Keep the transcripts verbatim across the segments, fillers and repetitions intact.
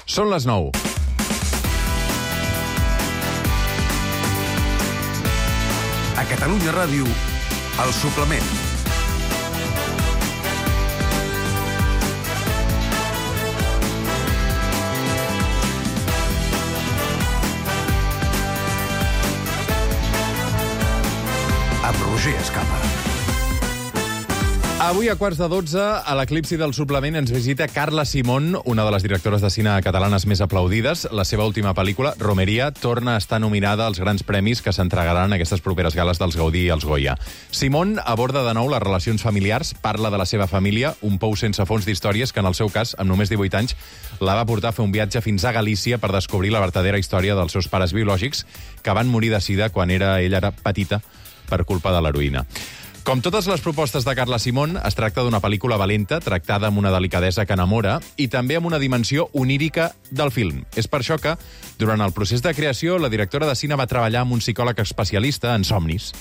Són les nou. A Catalunya Ràdio, El Suplement. Amb Roger Escapa. Avui a quarts de dotze, a l'Eclipsi del Suplement, ens visita Carla Simón, una de les directores de cine catalanes més aplaudides. La seva última pel·lícula, Romeria, torna a estar nominada als grans premis que s'entregaran en aquestes properes gales dels Gaudí i els Goya. Simón aborda de nou les relacions familiars, parla de la seva família, un pou sense fons d'històries que, en el seu cas, amb només divuit anys, la va portar a fer un viatge fins a Galícia per descobrir la vertadera història dels seus pares biològics, que van morir de sida quan era, ella era petita, per culpa de l'heroïna. Com totes les propostes de Carla Simón, es tracta d'una pel·lícula valenta, tractada amb una delicadesa que enamora i també amb una dimensió onírica del film. És per això que, durant el procés de creació, la directora de cine va treballar amb un psicòleg especialista en somnis.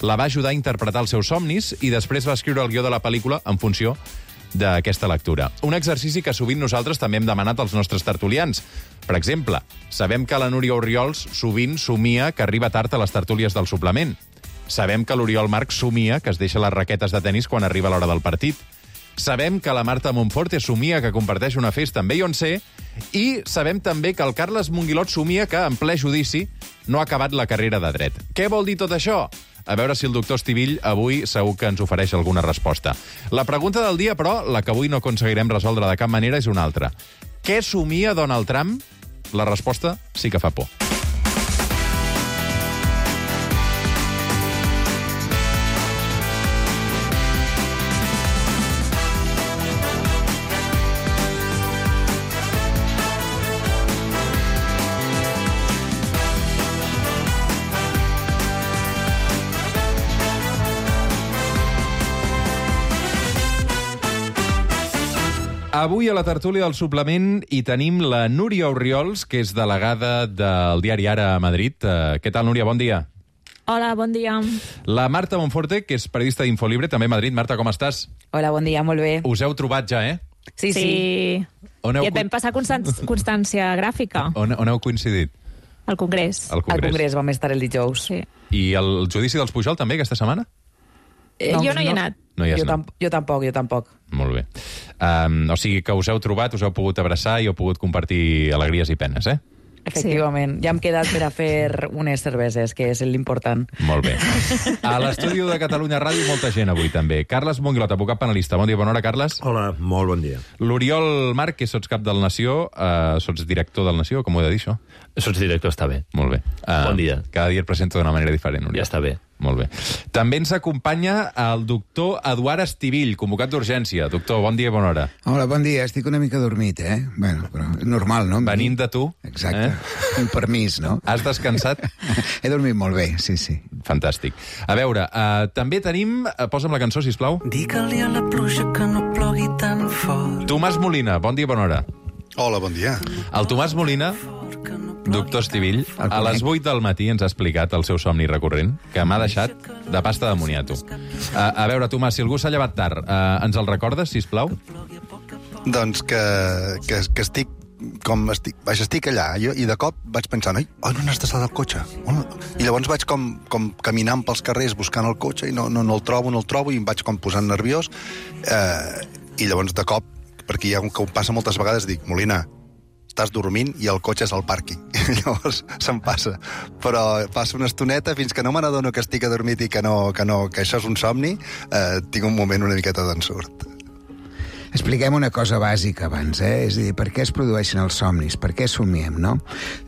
La va ajudar a interpretar els seus somnis i després va escriure el guió de la pel·lícula en funció d'aquesta lectura. Un exercici que sovint nosaltres també hem demanat als nostres tertulians. Per exemple, sabem que la Núria Orriols sovint somia que arriba tard a les tertúlies del Suplement. Sabem que l'Oriol Marc somia que es deixa les raquetes de tenis quan arriba l'hora del partit. Sabem que la Marta Monforte somia que comparteix una festa amb Beyoncé. I sabem també que el Carles Monguilot somia que, en ple judici, no ha acabat la carrera de dret. Què vol dir tot això? A veure si el doctor Estivill avui segur que ens ofereix alguna resposta. La pregunta del dia, però, la que avui no aconseguirem resoldre de cap manera, és una altra. Què somia Donald Trump? La resposta sí que fa por. Avui a la tertúlia del Suplement hi tenim la Núria Orriols, que és delegada del diari Ara a Madrid. Uh, què tal, Núria? Bon dia. Hola, bon dia. La Marta Monforte, que és periodista d'Infolibre, també a Madrid. Marta, com estàs? Hola, bon dia, molt bé. Us heu trobat ja, eh? Sí, sí. sí. On heu... I et vam passar constan constància gràfica. On, on heu coincidit? Al Congrés. Al Congrés. Al Congrés vam estar el dijous. Sí. I el judici dels Pujol també, aquesta setmana? Eh, No, jo no hi he no. anat. No hi has jo, anat. tam jo tampoc, jo tampoc. Molt bé. Um, o sigui que us heu trobat, us heu pogut abraçar i heu pogut compartir alegries i penes, eh? Efectivament. Ja hem quedat per a fer unes cerveses, que és l'important. Molt bé. A l'estudi de Catalunya Ràdio molta gent avui també. Carles Monguilot, advocat penalista. Bon dia, bona hora, Carles. Hola, molt bon dia. L'Oriol Marc, que sots cap del Nació, uh, sots director del Nació, com ho he de dir, això? Sots director, està bé. Molt bé. Uh, Bon dia. Cada dia et presento d'una manera diferent, Oriol. Ja està bé. Molt bé. També ens acompanya el doctor Eduard Estivill, convocat d'urgència. Doctor, bon dia i bona hora. Hola, bon dia. Estic una mica dormit, eh? Bueno, però és normal, no? Venint de tu. Exacte. Eh? Un permís, no? Has descansat? He dormit molt bé, sí, sí. Fantàstic. A veure, uh, també tenim... Uh, posa'm la cançó, sisplau. Digue-li a la pluja que no plogui tan fort. Tomàs Molina, bon dia i bona hora. Hola, bon dia. El Tomàs Molina, doctor Estivill, a les vuit del matí ens ha explicat el seu somni recurrent, que m'ha deixat de pasta de moniato. A, a veure, Tomàs, si algú s'ha llevat tard, uh, ens el recordes, sisplau? Doncs que, que, que estic com estic, vaja, estic allà, jo, i de cop vaig pensar, oi, oh, no n'has d'estar del cotxe. Oh, no. I llavors vaig com, com caminant pels carrers buscant el cotxe i no, no, no el trobo, no el trobo, i em vaig com posant nerviós. Eh, I llavors de cop, perquè hi ha un que ho passa moltes vegades, dic, Molina, estàs dormint i el cotxe és al pàrquing. Llavors se'm passa. Però passa una estoneta fins que no me n'adono que estic adormit i que, no, que, no, que això és un somni, eh, tinc un moment una miqueta d'ensurt. Expliquem una cosa bàsica abans, eh? És a dir, per què es produeixen els somnis? Per què somiem, no?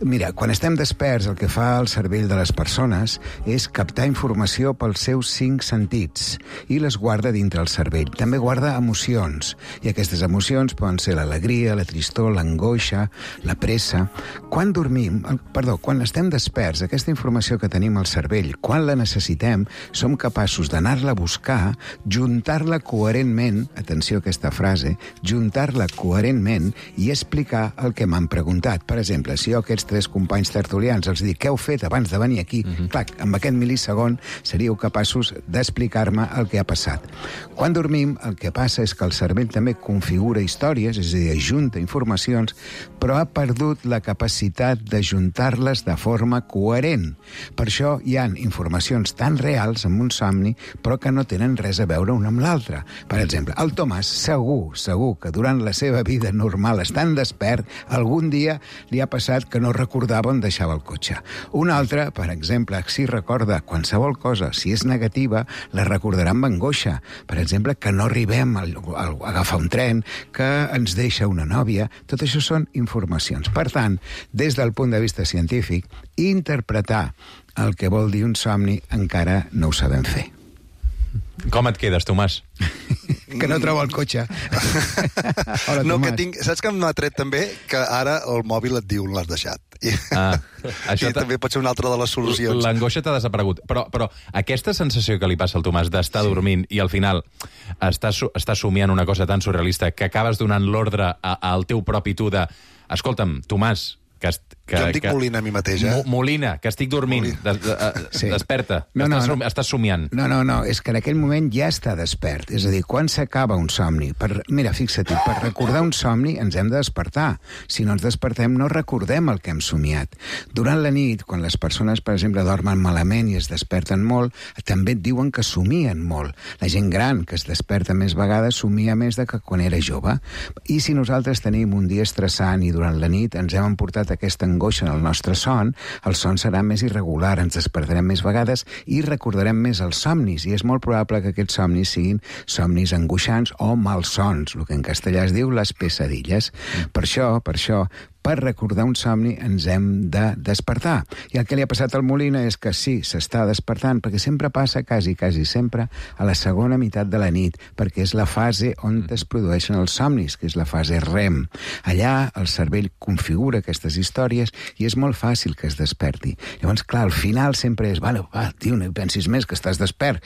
Mira, quan estem desperts, el que fa el cervell de les persones és captar informació pels seus cinc sentits i les guarda dintre el cervell. També guarda emocions, i aquestes emocions poden ser l'alegria, la tristor, l'angoixa, la pressa. Quan dormim, perdó, quan estem desperts, aquesta informació que tenim al cervell, quan la necessitem, som capaços d'anar-la a buscar, juntar-la coherentment, atenció a aquesta frase, fase, juntar-la coherentment i explicar el que m'han preguntat. Per exemple, si jo a aquests tres companys tertulians els dic què heu fet abans de venir aquí, mm-hmm. clar, amb aquest mil·lisegon seríeu capaços d'explicar-me el que ha passat. Quan dormim, el que passa és que el cervell també configura històries, és a dir, ajunta informacions, però ha perdut la capacitat d'ajuntar-les de forma coherent. Per això hi ha informacions tan reals en un somni, però que no tenen res a veure una amb l'altra. Per exemple, el Tomàs segur, segur que durant la seva vida normal, estant despert, algun dia li ha passat que no recordava on deixava el cotxe. Un altre, per exemple, si recorda qualsevol cosa, si és negativa, la recordarà amb angoixa. Per exemple, que no arribem a, a, a agafar un tren, que ens deixa una nòvia. Tot això són informacions. Per tant, des del punt de vista científic, interpretar el que vol dir un somni encara no ho sabem fer. Com et quedes, Tomàs? Que no trobo el cotxe. Hola, no, Tomàs. que tinc, saps que m'ha tret també? Que ara el mòbil et diu on l'has deixat. I, Ah, això i també pot ser una altra de les solucions. L'angoixa t'ha desaparegut. Però, però aquesta sensació que li passa al Tomàs d'estar sí. dormint i al final estàs, estàs somiant una cosa tan surrealista que acabes donant l'ordre a- al teu propi tu de escolta'm, Tomàs, que, est- que, Jo em dic que, Molina a mi mateix, eh? Mo- Molina, que estic dormint. De, de, de, Sí. Desperta. No, no, estàs, no. som- estàs somiant. No, no, no, és que en aquell moment ja està despert. És a dir, quan s'acaba un somni... Per, mira, fixa't, per recordar un somni ens hem de despertar. Si no ens despertem, no recordem el que hem somiat. Durant la nit, quan les persones, per exemple, dormen malament i es desperten molt, també et diuen que somien molt. La gent gran, que es desperta més vegades, somia més de que quan era jove. I si nosaltres tenim un dia estressant i durant la nit ens hem emportat aquesta angoixa en el nostre son, el son serà més irregular, ens despertarem més vegades i recordarem més els somnis, i és molt probable que aquests somnis siguin somnis angoixants o malsons, el que en castellà es diu les pesadilles. Per això, per això, per recordar un somni ens hem de despertar. I el que li ha passat al Molina és que sí, s'està despertant, perquè sempre passa, quasi, quasi sempre, a la segona meitat de la nit, perquè és la fase on es produeixen els somnis, que és la fase REM. Allà el cervell configura aquestes històries i és molt fàcil que es desperti. Llavors, clar, al final sempre és, vale, va, tio, no hi pensis més, que estàs despert,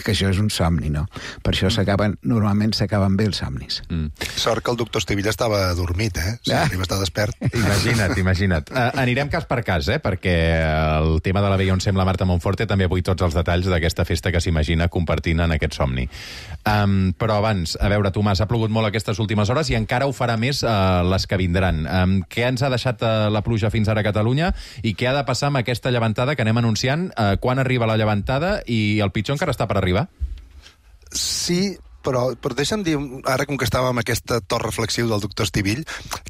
que això és un somni, no? Per això s'acaben, normalment s'acaben bé els somnis. Mm. Sort que el doctor Estivilla estava dormit, eh? Si Ah. arriba a estar despert. Imagina't, imagina't. Uh, anirem cas per cas, eh? Perquè el tema de la Beyoncé amb la Marta Monforte també vull tots els detalls d'aquesta festa que s'imagina compartint en aquest somni. Um, però abans, a veure, Tomàs, ha plogut molt aquestes últimes hores i encara ho farà més uh, les que vindran. Um, què ens ha deixat uh, la pluja fins ara a Catalunya i què ha de passar amb aquesta llevantada que anem anunciant? Uh, quan arriba la llevantada i el pitjor encara està per arribar? Sí, però, però deixa'm dir, ara com que estàvem amb aquest to reflexiu del doctor Estivill,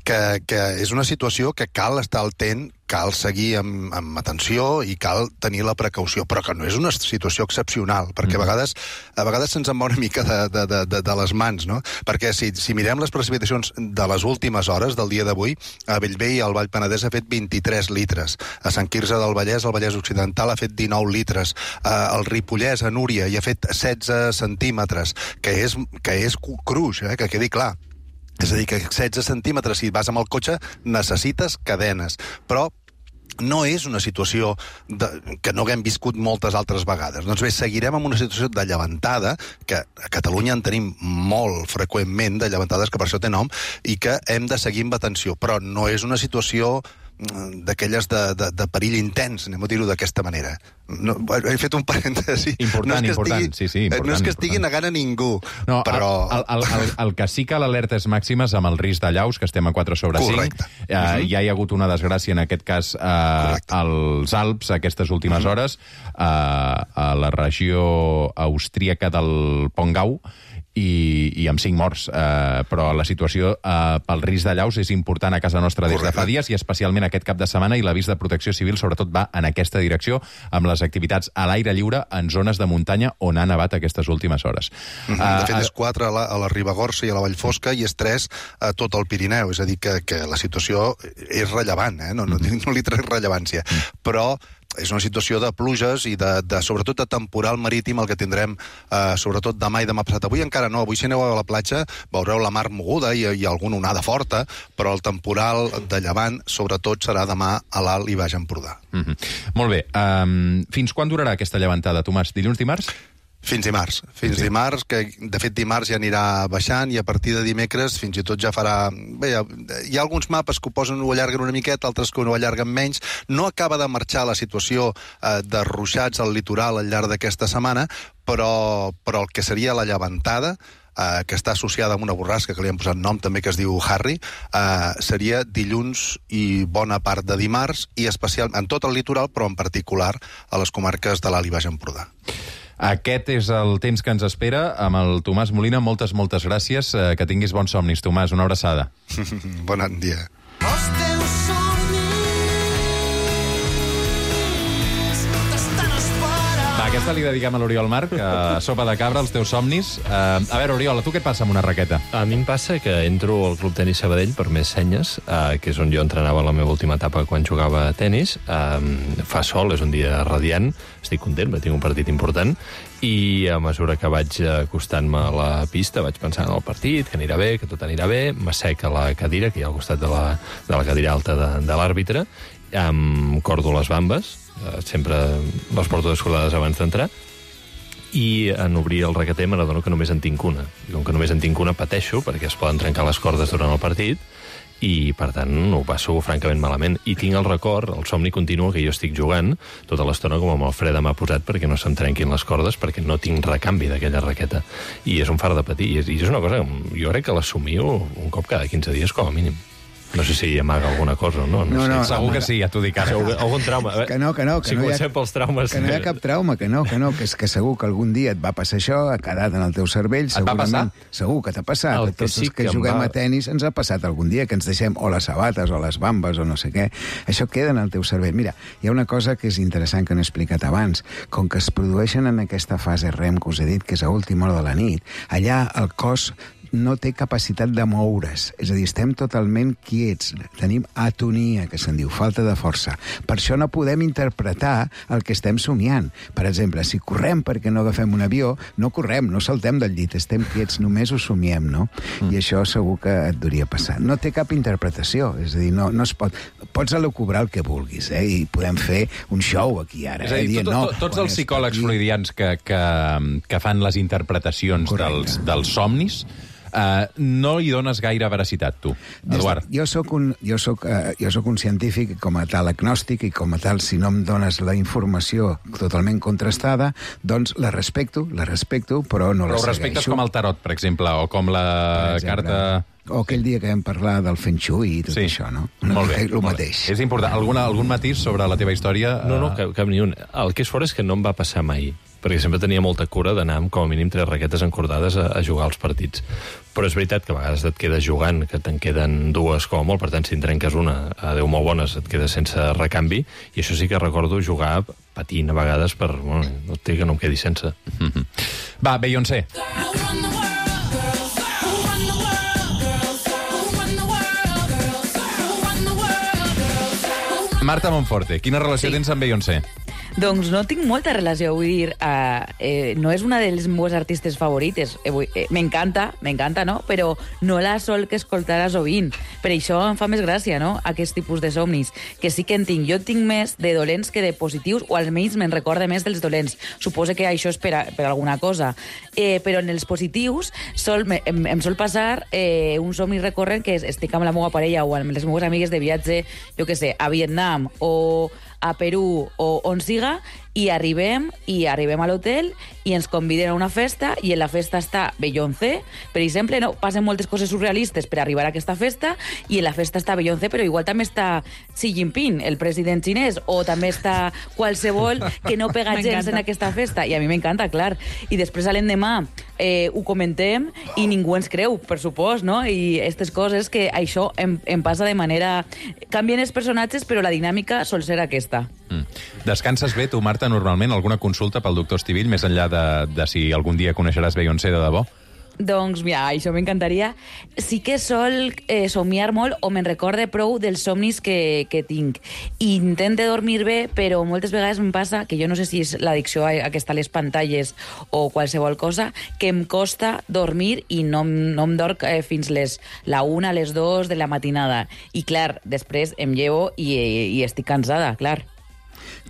que, que és una situació que cal estar al tent, cal seguir amb, amb atenció i cal tenir la precaució, però que no és una situació excepcional, perquè a vegades, a vegades se'ns en va una mica de, de, de, de les mans, no? Perquè si, si mirem les precipitacions de les últimes hores del dia d'avui, a Bellvei, al Vall Penedès, ha fet vint-i-tres litres. A Sant Quirze del Vallès, al Vallès Occidental, ha fet dinou litres. Al Ripollès, a Núria, hi ha fet setze centímetres, que és, que és cruix, eh? Que quedi clar. És a dir, que setze centímetres, si vas amb el cotxe, necessites cadenes. Però no és una situació de, que no haguem viscut moltes altres vegades. Doncs bé, seguirem amb una situació de llevantada, que a Catalunya en tenim molt freqüentment, de llevantades que per això té nom, i que hem de seguir amb atenció. Però no és una situació d'aquelles de, de, de perill intens, anem a dir-ho d'aquesta manera. No, he fet un parèntesi. Important, no és que important, estigui, sí, sí, important, no és que estigui important. negant a ningú, No, però... el, el, el, el que sí que l'alerta és màxima és amb el risc de llaus, que estem a quatre sobre cinc. Correcte. Uh, uh-huh. Ja hi ha hagut una desgràcia, en aquest cas, uh, als Alps, aquestes últimes uh-huh. hores, uh, a la regió austríaca del Pongau, i, i amb cinc morts. Uh, però la situació uh, pel risc de llaus és important a casa nostra des de fa dies, i especialment aquest cap de setmana, i l'avís de protecció civil sobretot va en aquesta direcció, amb les activitats a l'aire lliure en zones de muntanya on ha nevat aquestes últimes hores. Uh, de fet, és quatre a la, a la Ribagorça i a la Vallfosca i és tres a tot el Pirineu. És a dir, que, que la situació és rellevant, eh? no, no, no li trec rellevància. Però és una situació de pluges i de, de sobretot de temporal marítim el que tindrem eh, sobretot demà i demà passat. Avui encara no, avui si aneu a la platja veureu la mar moguda i, i alguna onada forta, però el temporal de llevant sobretot serà demà a l'Alt i Baix Empordà. Mm-hmm. Molt bé. Um, fins quan durarà aquesta llevantada, Tomàs? Dilluns, dimarts? Fins dimarts. Fins sí. dimarts, que de fet dimarts ja anirà baixant i a partir de dimecres fins i tot ja farà... Bé, hi, ha, hi ha alguns mapes que ho posen, ho allarguen una miqueta, altres que ho allarguen menys. No acaba de marxar la situació eh, de ruixats al litoral al llarg d'aquesta setmana, però, però el que seria la llevantada, eh, que està associada amb una borrasca que li han posat nom també, que es diu Harry, eh, seria dilluns i bona part de dimarts, i especial en tot el litoral, però en particular a les comarques de l'Alt i Baix Empordà. Aquest és el temps que ens espera amb el Tomàs Molina. Moltes, moltes gràcies. Que tinguis bons somnis, Tomàs. Una abraçada. Bon dia. Els teus somnis t'estan esperant. Va, aquesta li dediquem a l'Oriol Marc, a Sopa de Cabra, els teus somnis. Uh, a veure, Oriol, a tu què et passa amb una raqueta? A mi em passa que entro al Club Tenis Sabadell per més senyes, uh, que és on jo entrenava la meva última etapa quan jugava a tenis. Um, fa sol, és un dia radiant, estic content, perquè tinc un partit important, i a mesura que vaig acostant-me a la pista vaig pensant en el partit, que anirà bé, que tot anirà bé, m'asseca la cadira, que hi ha al costat de la, de la cadira alta de, de l'àrbitre, em cordo les bambes, eh, sempre les porto descordades abans d'entrar, i en obrir el raqueter m'adono que només en tinc una. I com que només en tinc una pateixo, perquè es poden trencar les cordes durant el partit, i, per tant, ho passo francament malament. I tinc el record, el somni continu, que jo estic jugant tota l'estona com amb el fre de m'ha posat perquè no se'm trenquin les cordes, perquè no tinc recanvi d'aquella raqueta. I és un far de patir. I és, i és una cosa que jo crec que l'assumio un cop cada quinze dies, com a mínim. No sé si amaga alguna cosa o no. No, no, sé. no Segur amaga. que sí, ja t'ho dic ara. Segur, algun trauma. Que no, que no. Que si no comencem pels traumes... Que no hi ha cap trauma, que no, que no, que és que segur que algun dia et va passar això, ha quedat en el teu cervell, Et va segurament. passar? Segur que t'ha passat. El A tots que sí els que, que em juguem va- a tenis ens ha passat algun dia, que ens deixem o les sabates o les bambes o no sé què. Això queda en el teu cervell. Mira, hi ha una cosa que és interessant que no he explicat abans. Com que es produeixen en aquesta fase REM que us he dit, que és a última hora de la nit, allà el cos no té capacitat de moure's. És a dir, estem totalment quiets. Tenim atonia, que se'n diu, falta de força. Per això no podem interpretar el que estem somiant. Per exemple, si correm perquè no agafem un avió, no correm, no saltem del llit, estem quiets, només ho somiem, no? Mm. I això segur que et hauria passar. No té cap interpretació, és a dir, no, no es pot... Pots elucubrar el que vulguis, eh? I podem fer un show aquí ara. És a dir, eh? tot, no, tot, tots quan els és psicòlegs aquí- freudians que, que, que fan les interpretacions dels, Correcte. dels somnis, Uh, no hi dones gaire veracitat, tu, Eduard. Des de- Jo soc un, jo soc, uh, jo soc un científic, com a tal agnòstic, i com a tal, si no em dones la informació totalment contrastada, doncs la respecto, la respecto, però no Però la ho respectes segueixo. com el tarot, per exemple, o com la Per exemple. carta... O aquell dia que vam parlar del Feng Shui i tot Sí. això, no? Molt bé. El molt bé. mateix. És important. Alguna, algun matís sobre la teva història? No, no, Eh, cap, cap ni un. El que és fort és que no em va passar mai, perquè sempre tenia molta cura d'anar amb com a mínim tres raquetes encordades a, a jugar als partits. Però és veritat que a vegades et quedes jugant, que te'n queden dues com a molt, per tant, si en trenques una, a Déu molt bones, et quedes sense recanvi, i això sí que recordo jugar patint a vegades per... Bueno, no té que no em quedi sense. Va, Beyoncé. Marta Monforte, quina relació Sí. tens amb Beyoncé? Doncs no tinc molta relació, vull dir, uh, eh, no és una de les meves artistes favorites. Eh, vull- eh, m'encanta, m'encanta, no? Però no la sol que escoltar sovint. Per això em fa més gràcia, no?, aquest tipus de somnis, que sí que en tinc. Jo tinc més de dolents que de positius, o almenys me'n recorde més dels dolents. Suposo que això és per, a, per alguna cosa. Eh, però en els positius sol, me, em, em sol passar eh, un somni recurrent, que és estic amb la meva parella o amb les meves amigues de viatge, jo què sé, a Vietnam o a Perú o on siga, i arribem i arribem a l'hotel i ens conviden a una festa i en la festa està Beyoncé, per exemple, no? Passen moltes coses surrealistes per arribar a aquesta festa i en la festa està Beyoncé, però igual també està Xi Jinping, el president xinès, o també està qualsevol que no pega gens M'encanta. en aquesta festa, i a mi m'encanta, clar. I després a l'endemà eh, ho comentem i ningú ens creu, per supost, no? I aquestes coses que això em, em passa de manera... Canvien els personatges, però la dinàmica sol ser aquesta. Mm. Descanses bé, tu, Marta, normalment? Alguna consulta pel doctor Estivill, més enllà de, de si algun dia coneixeràs Beyoncé de debò? Doncs, mira, això m'encantaria. Sí que sol eh, somiar molt o me'n recorde prou dels somnis que, que tinc. I intente dormir bé, però moltes vegades em passa, que jo no sé si és l'addicció a, a que està a les pantalles o qualsevol cosa, que em costa dormir i no, em- no em dorm eh, fins les, la una, les dos de la matinada. I, clar, després em llevo i, i estic cansada, clar.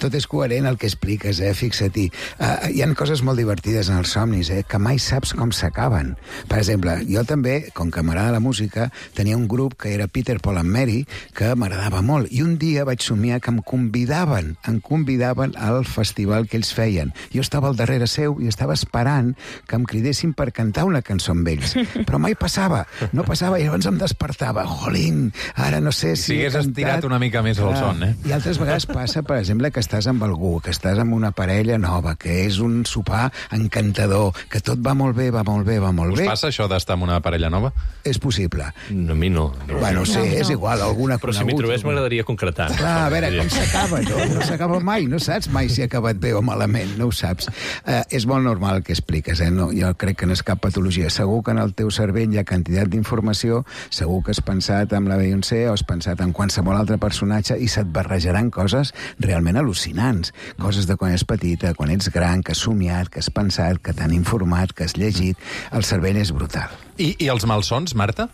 tot és coherent el que expliques, eh? Fixa-t'hi. Uh, hi ha coses molt divertides en els somnis, eh? Que mai saps com s'acaben. Per exemple, jo també, com que m'agrada la música, tenia un grup que era Peter, Paul and Mary, que m'agradava molt. I un dia vaig somiar que em convidaven, em convidaven al festival que ells feien. Jo estava al darrere seu i estava esperant que em cridessin per cantar una cançó amb ells. Però mai passava, no passava, i llavors em despertava. Jolín, ara no sé si... Si hagués estirat una mica més el son, eh? I altres vegades passa, per exemple, que estàs amb algú, que estàs amb una parella nova, que és un sopar encantador, que tot va molt bé, va molt bé, va molt Us bé. passa això d'estar amb una parella nova? És possible. No, a mi no. no. Bueno, sí, No, no. és igual, alguna Però si m'hi conegut. trobés m'agradaria concretar. Clar, a veure, com s'acaba, no? No s'acaba mai, no saps mai si ha acabat bé o malament, no ho saps. Uh, és molt normal el que expliques, eh? No, jo crec que no és cap patologia. Segur que en el teu cervell hi ha quantitat d'informació, segur que has pensat en la Beyoncé o has pensat en qualsevol altre personatge i se't barrejaran coses realment al·lucinants. Coses de quan ets petita, quan ets gran, que has somiat, que has pensat, que t'han informat, que has llegit. El cervell és brutal. I, i els malsons, Marta?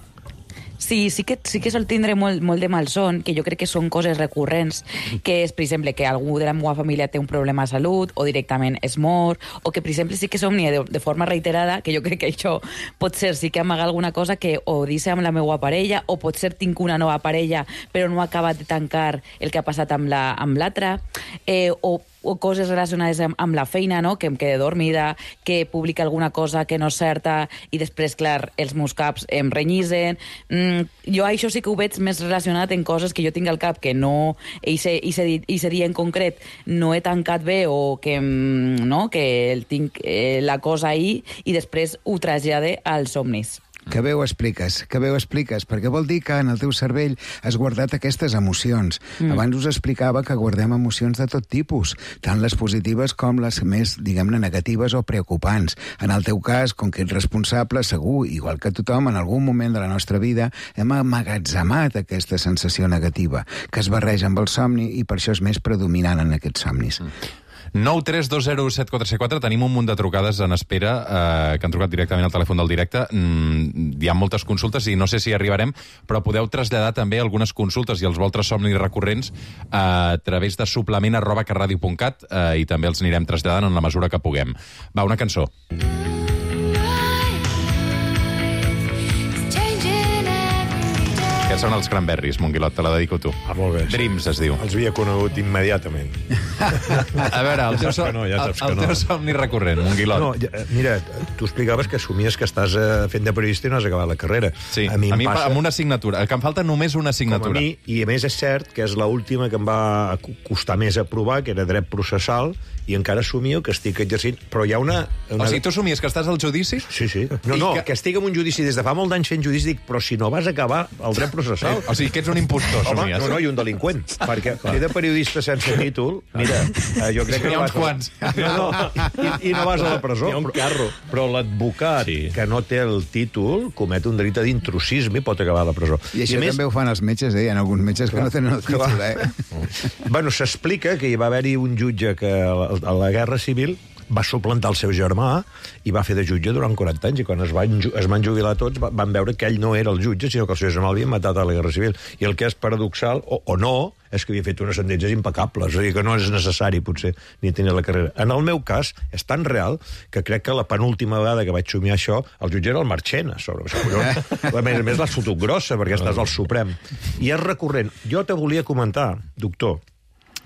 Sí, sí que, sí que sol tindre molt, molt de malson, que jo crec que són coses recurrents, que és, per exemple, que algú de la meva família té un problema de salut, o directament es mor, o que, per exemple, sí que somnia de, de forma reiterada, que jo crec que això pot ser sí que amagar alguna cosa que o deixa amb la meva parella, o pot ser tinc una nova parella, però no ha acabat de tancar el que ha passat amb la, amb l'altra, eh, o o coses relacionades amb, amb la feina, no? Que em quede dormida, que publica alguna cosa que no és certa i després, clar, els meus caps em renyisen. Mm, jo això sí que ho veig més relacionat en coses que jo tinc al cap que no, i se dia en concret no he tancat bé o que, no? Que el tinc eh, la cosa ahí i després ho trasllade als somnis. Que bé ho expliques, que bé ho expliques, perquè vol dir que en el teu cervell has guardat aquestes emocions. Mm. Abans us explicava que guardem emocions de tot tipus, tant les positives com les més, diguem-ne, negatives o preocupants. En el teu cas, com que ets responsable, segur, igual que tothom, en algun moment de la nostra vida hem amagatzemat aquesta sensació negativa, que es barreja amb el somni i per això és més predominant en aquests somnis. Mm. nou tres dos zero set quatre set quatre. Tenim un munt de trucades en espera eh, que han trucat directament al telèfon del directe. Mm, hi ha moltes consultes i no sé si arribarem, però podeu traslladar també algunes consultes i els vostres somnis recurrents eh, a través de suplement arroba carradio punt cat eh, i també els anirem traslladant en la mesura que puguem. Va, una cançó. Aquests són els Cranberries, Monguilot, te la dedico a tu. Ah, molt bé. Dreams es diu. Els havia conegut immediatament. A veure, el teu, Ja saps que no, ja saps el, el que no. teu somni recurrent, Monguilot. No, ja, mira, tu explicaves que somies que estàs eh, fent de periodista i no has acabat la carrera. Sí, a mi, a em mi passa, amb una assignatura, que em falta només una com a assignatura. mi, i a més és cert que és l'última que em va costar més aprovar, que era dret processal, i encara somio que estic exercint, però hi ha una... una... O sigui, tu somies que estàs al judici? Sí, sí. No, I no, que- que... que estic en un judici des de fa molt d'anys fent judici, dic, però si no vas acabar el dret processal... O sigui, que ets un impostor, Home, somies. no, no, i un delinqüent, perquè fer de periodista sense títol, mira, eh, jo crec que N'hi ha no uns vas... a- quants. No, no, i, i no vas a la presó. Hi ha un però- carro. Però l'advocat Sí. que no té el títol comet un delicte d'intrusisme i pot acabar a la presó. I això a més, també ho fan els metges, eh? Hi ha alguns metges que no tenen el títol, eh? bueno, s'explica que hi va haver-hi un jutge que a la, a la Guerra Civil va suplantar el seu germà i va fer de jutge durant quaranta anys, i quan es van, ju- es van jubilar tots va- van veure que ell no era el jutge, sinó que el seu germà l'havien matat a la Guerra Civil. I el que és paradoxal, o, o no, és que havia fet unes sentències impecables, és a dir, que no és necessari, potser, ni tenir la carrera. En el meu cas, és tan real que crec que la penúltima vegada que vaig somiar això, el jutge era el Marchena, sobre. A més a més, l'has fotut grossa, perquè estàs al Suprem. I és recurrent. Jo te volia comentar, doctor,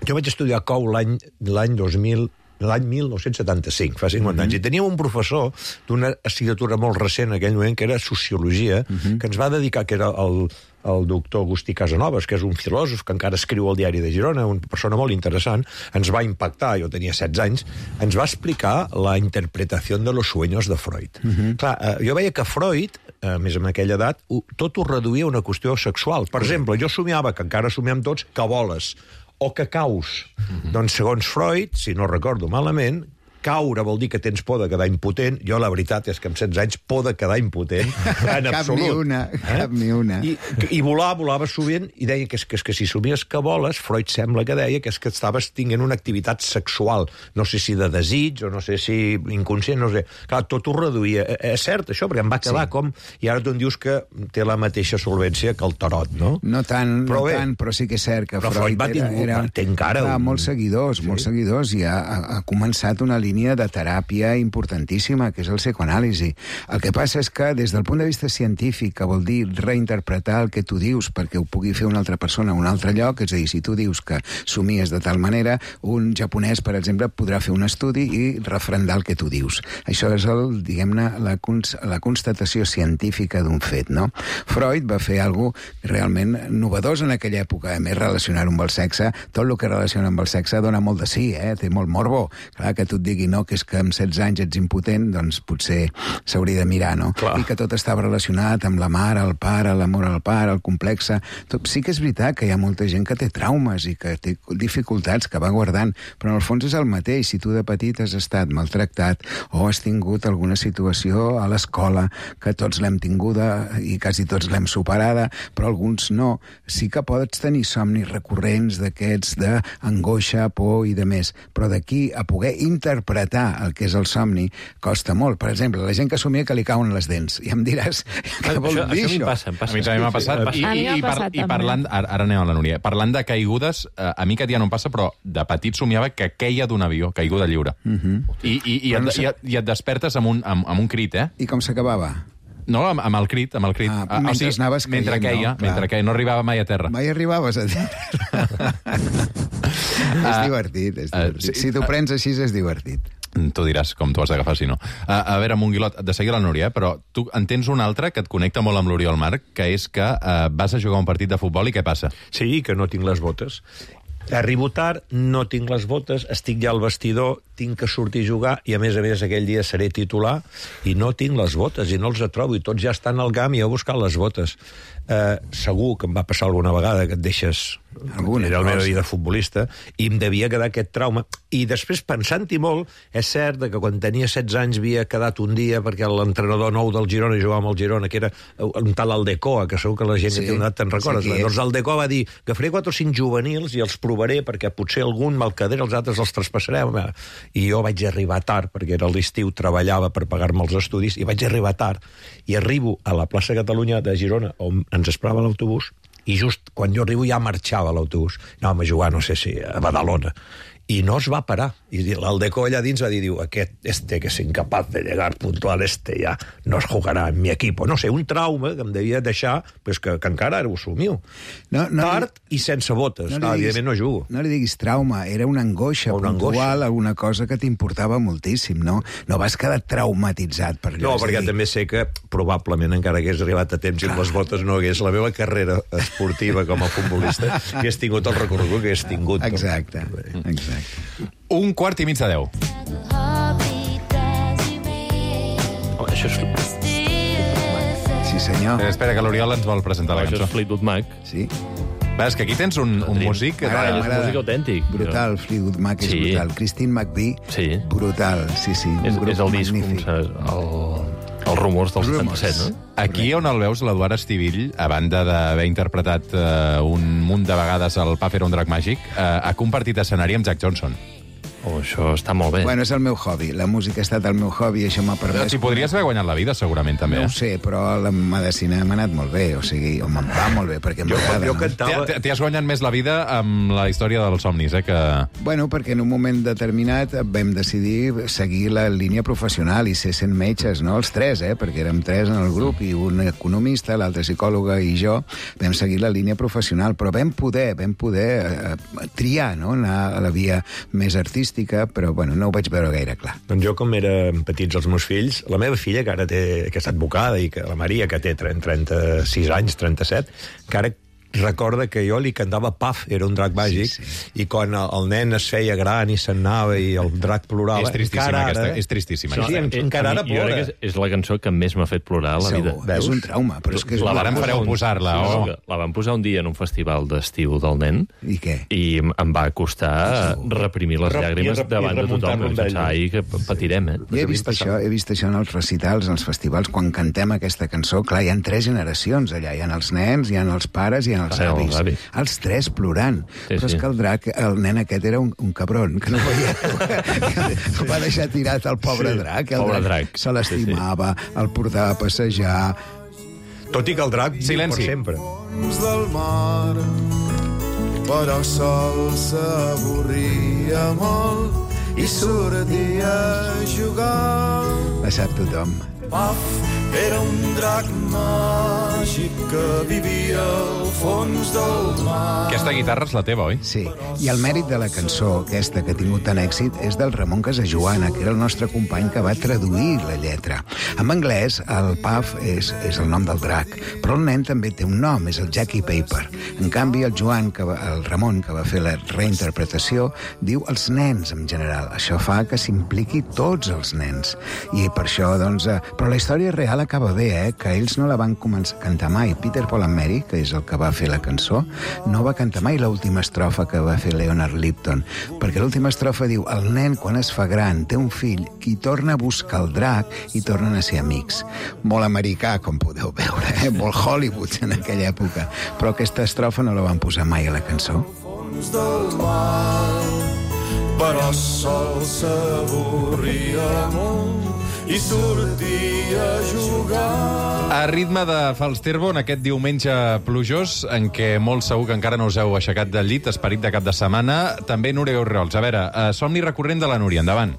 jo vaig estudiar a Cou l'any l'any dos mil, l'any mil nou-cents setanta-cinc, fa cinquanta mm-hmm. anys, i teníem un professor d'una assignatura molt recent en aquell moment, que era Sociologia, mm-hmm. que ens va dedicar, que era el, el doctor Agustí Casanovas, que és un filòsof que encara escriu al Diari de Girona, una persona molt interessant, ens va impactar, jo tenia setze anys, ens va explicar la interpretació de los sueños de Freud. Mm-hmm. Clar, eh, jo veia que Freud, a més en aquella edat, ho, tot ho reduïa a una qüestió sexual. Per exemple, jo somiava, que encara somiem tots, que voles, o que caus. Mm-hmm. Doncs, segons Freud, si no recordo malament, caure vol dir que tens por de quedar impotent. Jo, la veritat, és que amb setze anys, por de quedar impotent, en Cap absolut. ni una, cap ni una. I, I volar, volava sovint, i deia que és, que és que si somies que voles, Freud sembla que deia que és que estaves tinguent una activitat sexual, no sé si de desig, o no sé si inconscient, no sé. Clar, tot ho reduïa. És cert, això, perquè em va quedar sí. com... I ara tu em dius que té la mateixa solvència que el tarot, no? No tant, però no bé, tant, però sí que és cert que però Freud, Freud va era, tingut, era, té encara era un... molts seguidors, sí. molts seguidors, i ha, ha començat una línia de teràpia importantíssima, que és el psicoanàlisi. El que passa és que, des del punt de vista científic, que vol dir reinterpretar el que tu dius perquè ho pugui fer una altra persona a un altre lloc, és a dir, si tu dius que somies de tal manera, un japonès, per exemple, podrà fer un estudi i refrendar el que tu dius. Això és, el, diguem-ne, la, cons la constatació científica d'un fet, no? Freud va fer alguna cosa realment novedós en aquella època, a més, relacionar-ho amb el sexe. Tot el que relaciona amb el sexe dona molt de sí, eh? Té molt morbo. Clar, que tu et digui, no, que és que amb setze anys ets impotent, doncs potser s'hauria de mirar, no? Clar. I que tot estava relacionat amb la mare, el pare, l'amor al pare, el complexe. Tot, sí que és veritat que hi ha molta gent que té traumes i que té dificultats, que va guardant, però en el fons és el mateix. Si tu de petit has estat maltractat o has tingut alguna situació a l'escola, que tots l'hem tinguda i quasi tots l'hem superada, però alguns no, sí que pots tenir somnis recurrents d'aquests d'angoixa, por i de més, però d'aquí a poder interpretar el que és el somni costa molt. Per exemple, la gent que somia que li cauen les dents, i em diràs què vol això, dir això? això? Passa, passa. A mi també m'ha passat. I, A mi i, m'ha i, par, passat, i parlant, ara, ara anem a la Núria, parlant de caigudes, eh, a mi aquest dia no em passa, però de petit somiava que queia d'un avió, caiguda lliure. Uh -huh. I, i, i, et, i, et, I et despertes amb un, amb, amb un crit, eh? I com s'acabava? No, amb, amb el crit, amb el crit. Ah, mentre anaves caient, mentre queia, no? mentre queia, no arribava mai a terra. Mai arribaves a dir. És divertit, és divertit. Uh, sí, si t'ho prens així és divertit. Tu diràs com t'ho has d'agafar, si no. A, a veure, Monguilot, de seguir la Núria, eh? Però tu en tens un altre que et connecta molt amb l'Oriol Marc, que és que uh, vas a jugar un partit de futbol i què passa? Sí, que no tinc les botes. Arribo tard, no tinc les botes, estic ja al vestidor, tinc que sortir a jugar i, a més a més, aquell dia seré titular i no tinc les botes i no els trobo i tots ja estan al camp i jo he buscat les botes. Eh, segur que em va passar alguna vegada que et deixes... Alguna Era la meva cosa. vida futbolista i em devia quedar aquest trauma. I després, pensant-hi molt, és cert que quan tenia setze anys havia quedat un dia perquè l'entrenador nou del Girona jugava amb el Girona, que era un tal Aldecoa, que segur que la gent Sí, que té una edat te'n recordes. sí, Doncs Aldecoa va dir que faré quatre o cinc juvenils i els provaré perquè potser algun me'l quedaré, els altres els traspassarem. I jo vaig arribar tard, perquè era l'estiu, treballava per pagar-me els estudis, i vaig arribar tard. I arribo a la plaça Catalunya de Girona, on ens esperava l'autobús, i just quan jo arribo ja marxava l'autobús. Anàvem a jugar, no sé si a Badalona. I no es va parar. I l'Aldeco allà dins va dir, diu, aquest, este que és incapaz de llegar puntual, este ja no es jugarà en mi equipo. No sé, un trauma que em devia deixar, pues que, que encara ara ho somiu. No, no, Tard i sense botes. No No li diguis- evidentment no jugo. No li diguis trauma, era una angoixa Una puntual, angoixa. alguna cosa que t'importava moltíssim, no? No vas quedar traumatitzat per allò. No, és a perquè dir, també sé que probablement encara hagués arribat a temps i amb les botes no hagués la meva carrera esportiva com a futbolista i hagués tingut el recorregut que hagués tingut. Exacte, exacte. Un quart i mig de deu. Oh, això és, Sí, senyor. Eh, espera, que l'Oriol ens vol presentar la això cançó. és Fleetwood Mac. Sí, Va, és que aquí tens un, un Tenim- músic... de- M'agrada, és m'agrada. músic autèntic. brutal, Fleetwood Mac és Sí. brutal. Christine McVie, Sí. brutal, sí, sí. un És, grup és el disc, magnífic. com saps, el, els rumors del Rumors. setanta-set, no? Aquí on el veus, l'Eduard Estivill, a banda d'haver interpretat eh, un munt de vegades el Pa fer un drac màgic, eh, ha compartit escenari amb Jack Johnson. Oh, això està molt bé. Bueno, és el meu hobby. La música ha estat el meu hobby i això m'ha permès... T'hi podries haver guanyat la vida, segurament, també. No Eh? ho sé, però la medicina m'ha anat molt bé, o sigui, o me'n va molt bé, perquè Jo, m'agrada. jo no? cantava... T'hi t'hi has guanyat més la vida amb la història dels somnis, eh? Que... Bueno, perquè en un moment determinat vam decidir seguir la línia professional i ser sent metges, no? Els tres, eh? Perquè érem tres en el grup, i un economista, l'altre psicòloga i jo, vam seguir la línia professional, però vam poder, vam poder eh, triar, no? Anar a la via més artística, però, bueno, no ho vaig veure gaire clar. Doncs jo, com eren petits els meus fills, la meva filla, que ara té, que està advocada, i que la Maria, que té trenta-sis anys, trenta-set, que ara recorda que jo li cantava Puff, era un drac màgic, sí, sí. I quan el, el nen es feia gran i s'anava i el drac plorava... És tristíssima ara, aquesta, és tristíssima. Sí, sí, encara ara plora. És, és la cançó que més m'ha fet plorar a la vida. Veus? És un trauma, però és que... És la varen fareu posar-la, sí, oh. sí, la van posar un dia en un festival d'estiu del nen. I què? I em va costar reprimir les llàgrimes davant de tothom, perquè pensava, ai, que patirem, eh? Jo he vist això, he vist això en els recitals, en els festivals, quan cantem aquesta cançó, clar, hi ha tres generacions allà, hi ha els nens, hi ha els pares i hi ha els Ah, avis. els avis. Els tres plorant. Sí, Però és sí. que el drac, el nen aquest era un, un cabron, que no veia... que va deixar tirat el pobre Sí, drac. El pobre drac, drac. se l'estimava, Sí, el portava a passejar... Tot i que el drac viu Silenci. per sempre. Fons del mar, però sol s'avorria molt i sortia a jugar. La sap tothom. Puff era un drac màgic que vivia al fons del mar. Aquesta guitarra és la teva, oi? Sí, i el mèrit de la cançó, aquesta que ha tingut tant èxit, és del Ramon Casajoana, que era el nostre company que va traduir la lletra. En anglès, el Puff és, és el nom del drac, però el nen també té un nom, és el Jackie Paper. En canvi, el Joan, que va, el Ramon, que va fer la reinterpretació, diu els nens en general. Això fa que s'impliqui tots els nens. I per això, doncs... Eh, però la història real acaba bé, eh? Que ells no la van començar a cantar mai. Peter, Paul and Mary, que és el que va fer la cançó, no va cantar mai l'última estrofa que va fer Leonard Lipton, perquè l'última estrofa diu el nen, quan es fa gran, té un fill, qui torna a buscar el drac i tornen a ser amics. Molt americà, com podeu veure, eh? Molt Hollywood en aquella època. Però aquesta estrofa no la van posar mai a la cançó. Fons del mar, però sol s'avorria molt i sortia a jugar. A ritme de Falsterbo, en aquest diumenge plujós, en què molt segur que encara no us heu aixecat del llit, esperit de cap de setmana, també Núria Orriols. A veure, eh, somni recurrent de la Núria, endavant.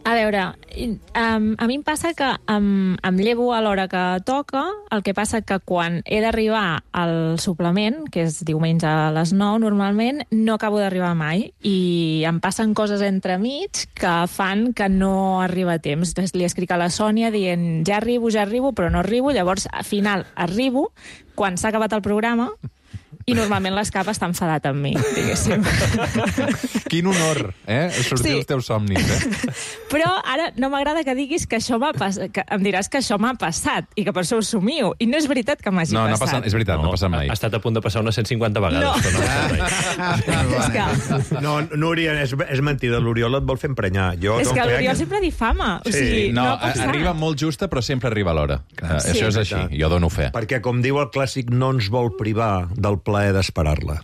A veure, um, a mi em passa que em, em llevo a l'hora que toca, el que passa que quan he d'arribar al suplement, que és diumenge a les nou normalment, no acabo d'arribar mai i em passen coses entremig que fan que no arriba a temps. Li escric a la Sònia dient ja arribo, ja arribo, però no arribo, llavors al final arribo quan s'ha acabat el programa i normalment l'escap està enfadat amb mi, diguéssim. Quin honor, eh? Sortir Sí. els teus somnis, eh? Però ara no m'agrada que diguis que això m'ha passat, que em diràs que això m'ha passat i que per això ho somio. I no és veritat que m'hagi No, no ha passat. passat, és veritat, no, no ha passat mai. Ha estat a punt de passar unes cent cinquanta vegades, No. però no ha passat mai. És que, No, Núria, és, és mentida. L'Oriol et vol fer emprenyar. Jo és no que crec l'Oriol sempre difama. O Sí. sigui, no, No, ha passat. arriba molt justa, però sempre arriba a l'hora. Uh, Sí. Això és així, jo dono fe. Perquè, com diu el clàssic, no ens vol privar del plaer d'esperar-la.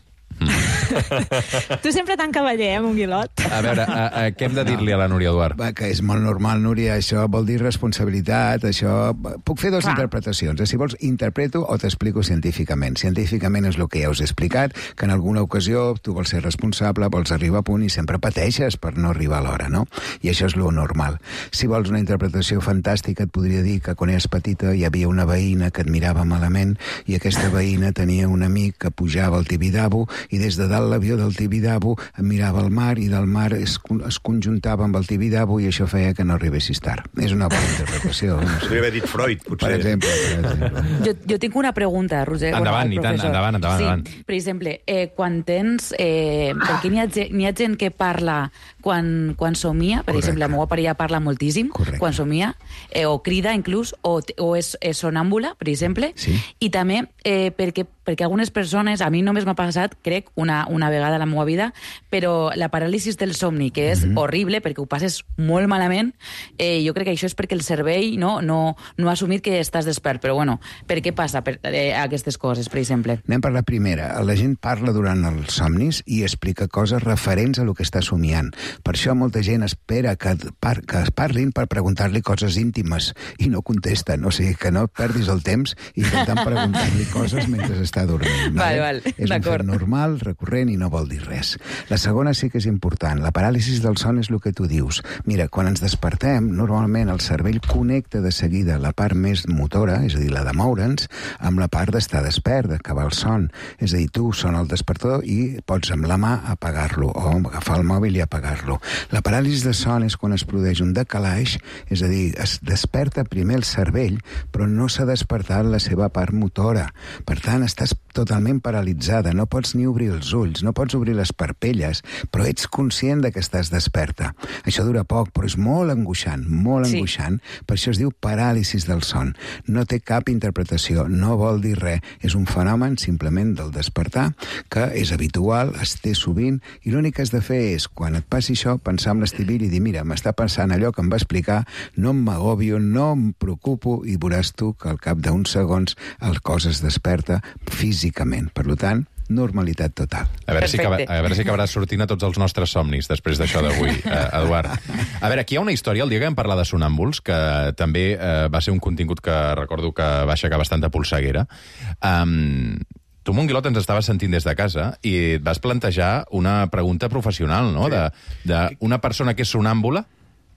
Tu sempre tan cavaller, eh, Monguilot? A veure, a, a, què hem de dir-li a la Núria Eduard? Va, que és molt normal, Núria, això vol dir responsabilitat, això... Puc fer dues Clar. interpretacions. Eh? Si vols, interpreto o t'explico científicament. Científicament és el que ja us he explicat, que en alguna ocasió tu vols ser responsable, vols arribar a punt i sempre pateixes per no arribar a l'hora, no? I això és lo normal. Si vols una interpretació fantàstica, et podria dir que quan eres petita hi havia una veïna que et mirava malament i aquesta veïna tenia un amic que pujava al Tibidabo i des de dalt l'avió del Tibidabo mirava al mar i del mar es, es conjuntava amb el Tibidabo i això feia que no arribessis tard. És una bona interpretació. No sé. Podria haver dit Freud, potser. Per exemple. Per exemple. Jo, jo tinc una pregunta, Roger. Endavant, al i tant, professor. endavant, endavant, sí, endavant. Per exemple, eh, quan tens... Eh, perquè n'hi ha, ge- n'hi ha gent que parla quan, quan somia, per Correcte. exemple, la meva parella parla moltíssim Correcte. quan somia, eh, o crida inclús, o, t- o és, és sonàmbula, per exemple, Sí. i també eh, perquè, perquè algunes persones, a mi només m'ha passat, crec, una, una vegada a la meva vida, però la paràlisi del somni, que és Mhm. horrible, perquè ho passes molt malament, eh, jo crec que això és perquè el cervell no, no, no ha assumit que estàs despert, però bueno, per què passa per, eh, aquestes coses, per exemple? Anem per la primera. La gent parla durant els somnis i explica coses referents a lo que està somiant. Per això molta gent espera que, par que es parlin per preguntar-li coses íntimes i no contesten. O sigui, que no perdis el temps intentant preguntar-li coses mentre està dormint. Val, val, És un fet d'acord. normal, recurrent i no vol dir res. La segona sí que és important. La paràlisi del son és el que tu dius. Mira, quan ens despertem, normalment el cervell connecta de seguida la part més motora, és a dir, la de moure'ns, amb la part d'estar despert, d'acabar el son. És a dir, tu sona el despertador i pots amb la mà apagar-lo o agafar el mòbil i apagar-lo. La paràlisi de son és quan es produeix un decalaix, és a dir, es desperta primer el cervell, però no s'ha despertat la seva part motora. Per tant, estàs totalment paralitzada, no pots ni obrir els ulls, no pots obrir les parpelles, però ets conscient de que estàs desperta. Això dura poc, però és molt angoixant, molt Sí. angoixant, per això es diu paràlisis del son. No té cap interpretació, no vol dir res, és un fenomen simplement del despertar, que és habitual, es té sovint, i l'únic que has de fer és, quan et passi això, pensar en l'Estivill i dir, mira, m'està passant allò que em va explicar, no m'agobio, no em preocupo, i veuràs tu que al cap d'uns segons el cos es desperta físicament. Per tant, normalitat total. A veure, si acaba, Perfecte. a veure si acabaràs sortint a tots els nostres somnis després d'això d'avui, eh, Eduard. A veure, aquí hi ha una història, el dia que vam parlar de sonàmbuls, que també eh, va ser un contingut que recordo que va aixecar bastanta polseguera. Um, tu, Monguilot, ens estaves sentint des de casa i et vas plantejar una pregunta professional, no?, de, de una persona que és sonàmbula.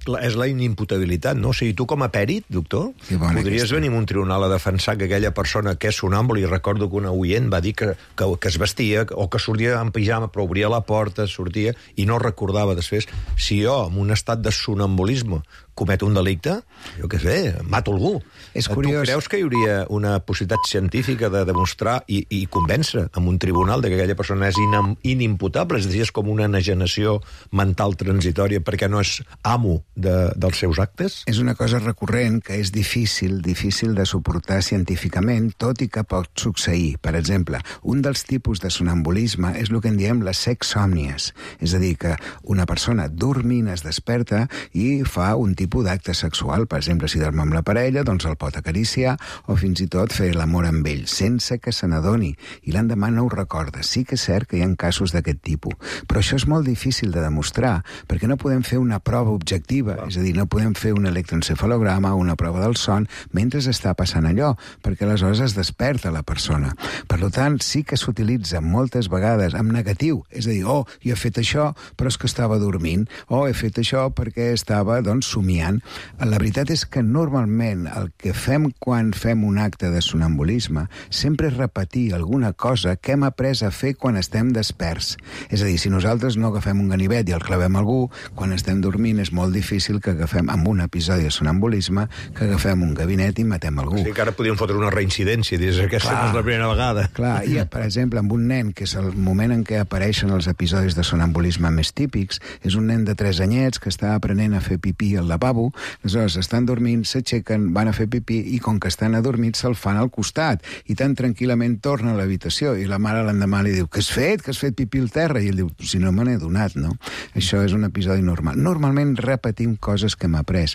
La, és la inimputabilitat, no? O sigui, tu com a pèrit, doctor, Que bona podries aquesta. venir a un tribunal a defensar que aquella persona que és sonàmbula, i recordo que una oient va dir que, que, que es vestia o que sortia en pijama, però obria la porta, sortia, i no recordava després. Si jo, en un estat de sonambulisme, cometo un delicte, jo què sé, mato algú. És Tu curiós. creus que hi hauria una possibilitat científica de demostrar i, i convèncer en un tribunal de que aquella persona és inam, inimputable? És a dir, és com una enajenació mental transitòria perquè no és amo de, dels seus actes? És una cosa recurrent que és difícil, difícil de suportar científicament, tot i que pot succeir. Per exemple, un dels tipus de sonambulisme és el que en diem les sexsòmnies. És a dir, que una persona dormint es desperta i fa un tipus d'acte sexual. Per exemple, si dorm amb la parella, doncs el pot acariciar o fins i tot fer l'amor amb ell, sense que se n'adoni. I l'endemà no ho recorda. Sí que és cert que hi ha casos d'aquest tipus. Però això és molt difícil de demostrar, perquè no podem fer una prova objectiva. És a dir, no podem fer un electroencefalograma o una prova del son mentre està passant allò, perquè aleshores es desperta la persona. Per tant, sí que s'utilitza moltes vegades en negatiu. És a dir, oh, jo he fet això, però és que estava dormint. Oh, he fet això perquè estava, doncs, somiant. La veritat és que normalment el que fem quan fem un acte de sonambulisme sempre és repetir alguna cosa que hem après a fer quan estem desperts. És a dir, si nosaltres no agafem un ganivet i el clavem a algú, quan estem dormint és molt difícil que agafem, amb un episodi de sonambulisme, que agafem un gabinet i matem algú. O sigui que ara podríem fotre una reincidència, dius, aquesta Clar. no és la primera vegada. Clar, i per exemple, amb un nen, que és el moment en què apareixen els episodis de sonambulisme més típics, és un nen de tres anyets que està aprenent a fer pipí al lavabo, aleshores estan dormint, s'aixequen, van a fer pipí i com que estan adormits se'l fan al costat i tan tranquil·lament torna a l'habitació i la mare l'endemà li diu, què has fet? Que has fet pipí al terra? I ell diu, si no me n'he donat, no? Això és un episodi normal. Normalment repetim coses que hem après,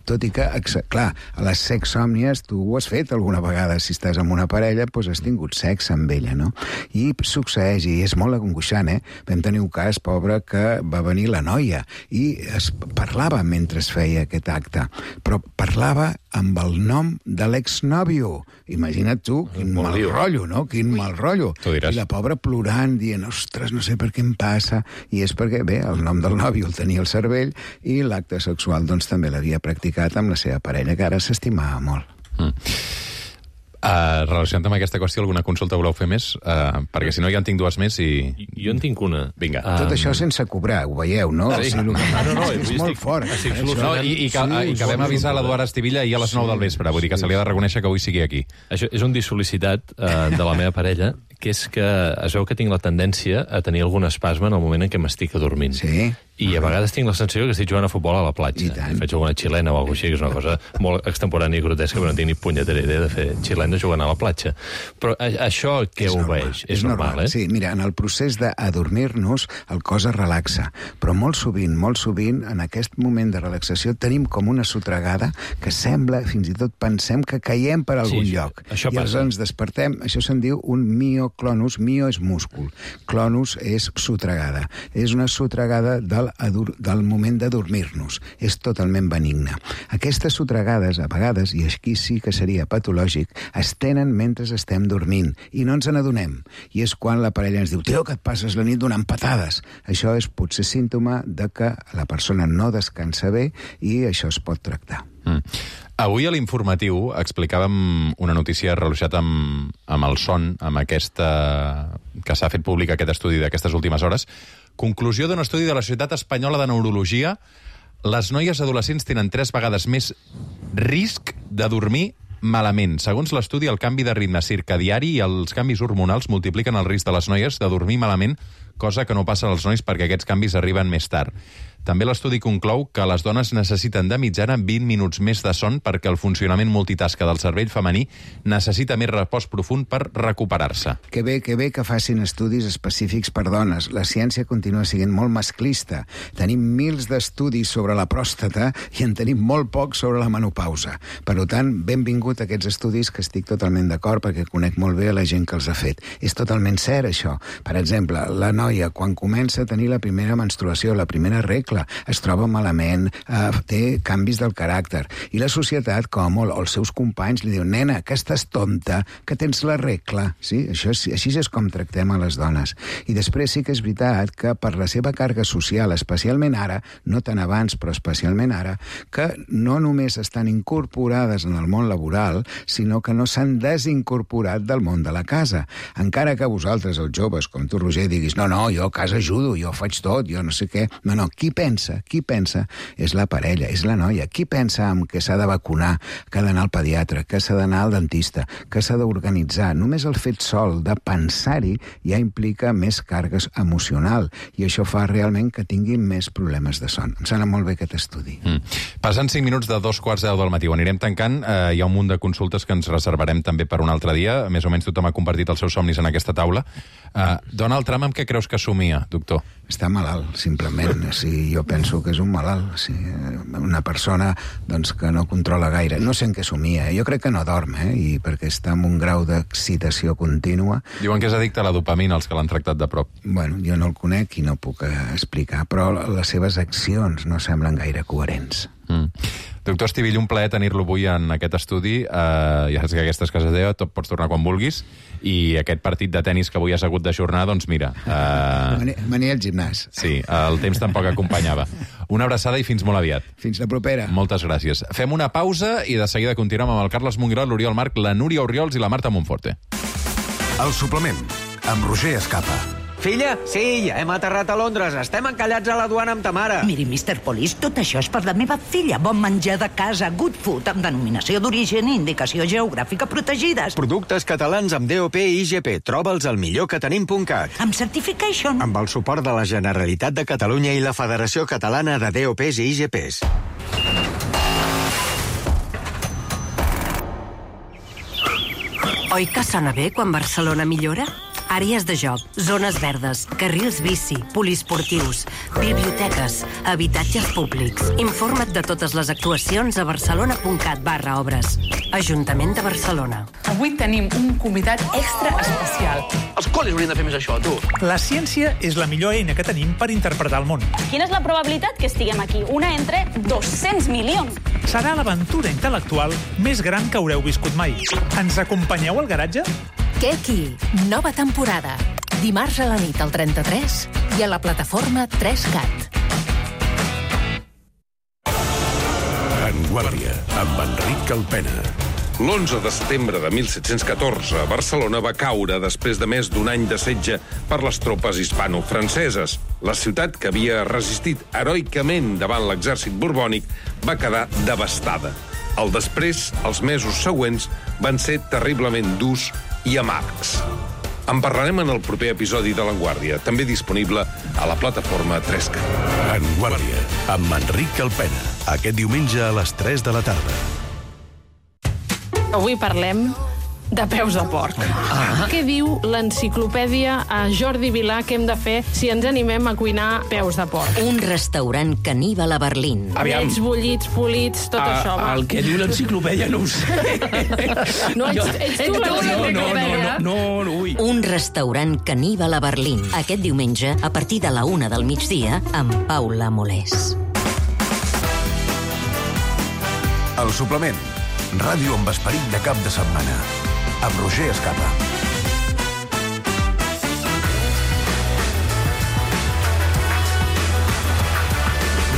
tot i que, clar, a les sexsòmnies tu ho has fet alguna vegada, si estàs amb una parella, doncs has tingut sexe amb ella, no? I succeeix, i és molt angoixant, eh? Vam tenir un cas, pobre, que va venir la noia i es parlava mentre es feia aquest acte, però parlava amb el nom de l'exnòvio. Imagina't tu, quin mal rotllo, no? Quin mal rotllo. Tu diràs. I la pobra plorant, dient, ostres, no sé per què em passa. I és perquè, bé, el nom del nòvio el tenia al cervell i l'acte sexual, doncs, també l'havia practicat amb la seva parella, que ara s'estimava molt. Mm. Uh, relacionat amb aquesta qüestió, alguna consulta voleu fer més? Uh, perquè si no ja en tinc dues més i... Jo en tinc una. Vinga. Ah, Tot això sense cobrar, ho veieu, no? Sí. O sigui, el que No, no, no, és jo molt estic- fort. estic eh, solucionant- No, i, i, que, Sí, i que vam sí, avisar sí. l'Eduard Estivilla ahir a les nou del vespre. Vull dir que se li ha de reconèixer que avui sigui aquí. Això és un dissol·licitat eh, de la meva parella, que és que es veu que tinc la tendència a tenir algun espasme en el moment en què m'estic adormint. Sí. I a vegades tinc la sensació que estic jugant a futbol a la platja. I tant. Faig alguna xilena o alguna cosa així, que és una cosa molt extemporània i grotesca, però no tinc ni punyetera idea de fer xilena jugant a la platja. Però a, això què És normal, obeeix? És, normal, eh? Sí, mira, en el procés d'adormir-nos el cos es relaxa, però molt sovint, molt sovint, en aquest moment de relaxació tenim com una sotregada que sembla, fins i tot pensem que caiem per algun Sí, lloc. això I passa. aleshores ens despertem, això se'n diu un mioclonus, mio és múscul, clonus és sotregada. És una sotregada del, adur, del moment de dormir-nos. És totalment benigna. Aquestes sotregades, a vegades, i aquí sí que seria patològic, es tenen mentre estem dormint i no ens n'adonem. I és quan la parella ens diu, tio, que et passes la nit donant patades. Això és potser símptoma de que la persona no descansa bé i això es pot tractar. Mm. Avui a l'informatiu explicàvem una notícia relacionada amb, amb el son, amb aquesta... que s'ha fet públic aquest estudi d'aquestes últimes hores. Conclusió d'un estudi de la Societat Espanyola de Neurologia: les noies adolescents tenen tres vegades més risc de dormir malament. Segons l'estudi, el canvi de ritme circadiari i els canvis hormonals multipliquen el risc de les noies de dormir malament, cosa que no passa als nois perquè aquests canvis arriben més tard. També l'estudi conclou que les dones necessiten de mitjana vint minuts més de son perquè el funcionament multitasca del cervell femení necessita més repòs profund per recuperar-se. Que bé, que bé que facin estudis específics per dones. La ciència continua sent molt masclista. Tenim mils d'estudis sobre la pròstata i en tenim molt pocs sobre la menopausa. Per tant, benvingut a aquests estudis, que estic totalment d'acord perquè conec molt bé a la gent que els ha fet. És totalment cert, això. Per exemple, la noia, quan comença a tenir la primera menstruació, la primera regla, es troba malament, eh, té canvis del caràcter. I la societat, com o els seus companys, li diu, nena, que estàs tonta, que tens la regla. Sí? Això és, així és com tractem a les dones. I després sí que és veritat que per la seva càrrega social, especialment ara, no tan abans, però especialment ara, que no només estan incorporades en el món laboral, sinó que no s'han desincorporat del món de la casa. Encara que vosaltres, els joves, com tu, Roger, diguis, no, no, jo a casa ajudo, jo faig tot, jo no sé què. No, no, qui pensa, qui pensa és la parella, és la noia. Qui pensa en que s'ha de vacunar, que ha d'anar al pediatre, que s'ha d'anar al dentista, que s'ha d'organitzar? Només el fet sol de pensar-hi ja implica més càrregues emocional i això fa realment que tinguin més problemes de son. Em sembla molt bé aquest estudi. Mm. Passen cinc minuts de dos quarts de deu del matí. Ho anirem tancant. Eh, hi ha un munt de consultes que ens reservarem també per un altre dia. Més o menys tothom ha compartit els seus somnis en aquesta taula. Eh, Donald Trump, amb què creus que somia, doctor? Està malalt, simplement. Sí, jo penso que és un malalt. Sí, una persona doncs, que no controla gaire. No sé en què somia. Jo crec que no dorm, eh? I perquè està en un grau d'excitació contínua. Diuen que és addicte a la dopamina, els que l'han tractat de prop. Bueno, jo no el conec i no puc explicar, però les seves accions no semblen gaire coherents. Mm. Doctor Estivill, un plaer tenir-lo avui en aquest estudi. Uh, ja saps que aquesta és casa teva, pots tornar quan vulguis. I aquest partit de tennis que avui has hagut d'ajornar, doncs mira... Uh... Venia al gimnàs. Sí, el temps tampoc acompanyava. Una abraçada i fins molt aviat. Fins la propera. Moltes gràcies. Fem una pausa i de seguida continuem amb el Carles Monguirol, l'Oriol Marc, la Núria Orriols i la Marta Monforte. El suplement, amb Roger Escapa. Filla, sí, ja hem aterrat a Londres. Estem encallats a la duana amb ta mare. Miri, mister Police, tot això és per la meva filla. Bon menjar de casa, good food, amb denominació d'origen i indicació geogràfica protegides. Productes catalans amb D O P i I G P. Troba'ls al millor que tenim punt cat. Amb certification. Amb el suport de la Generalitat de Catalunya i la Federació Catalana de D O Ps i I G Ps. Oi que sona bé quan Barcelona millora? Àrees de joc, zones verdes, carrils bici, poliesportius, biblioteques, habitatges públics. Informa't de totes les actuacions a barcelona.cat barra obres. Ajuntament de Barcelona. Avui tenim un convidat extra especial. Els col·lis haurien de fer més això, tu. La ciència és la millor eina que tenim per interpretar el món. Quina és la probabilitat que estiguem aquí? Una entre dos-cents milions. Serà l'aventura intel·lectual més gran que haureu viscut mai. Ens acompanyeu al garatge? Keki, nova temporada. Dimarts a la nit al trenta-tres i a la plataforma tres cat. En Guàrdia, amb Enric Calpena. L'onze de setembre de mil set-cents catorze, Barcelona va caure després de més d'un any de setge per les tropes hispano-franceses. La ciutat, que havia resistit heroicament davant l'exèrcit borbònic, va quedar devastada. El després, els mesos següents, van ser terriblement durs i amargs. En parlarem en el proper episodi de L'Enguàrdia, també disponible a la plataforma tres cat. En Guàrdia, amb Enric Calpena. Aquest diumenge a les tres de la tarda. Avui parlem de peus de porc. Ah. Què diu l'enciclopèdia a Jordi Vilà que hem de fer si ens animem a cuinar peus de porc? Un restaurant caníbal a Berlín. Aviam. Ets bullits, polits, tot a, això. Va. El que diu l'enciclopèdia no ho sé. No, ets, ets tu l'enciclopèdia. No, no, no, no, no, ui. Un restaurant caníbal a Berlín. Aquest diumenge, a partir de la una del migdia, amb Paula Molés. El suplement. Ràdio amb esperit de cap de setmana. Amb Roger Escapa.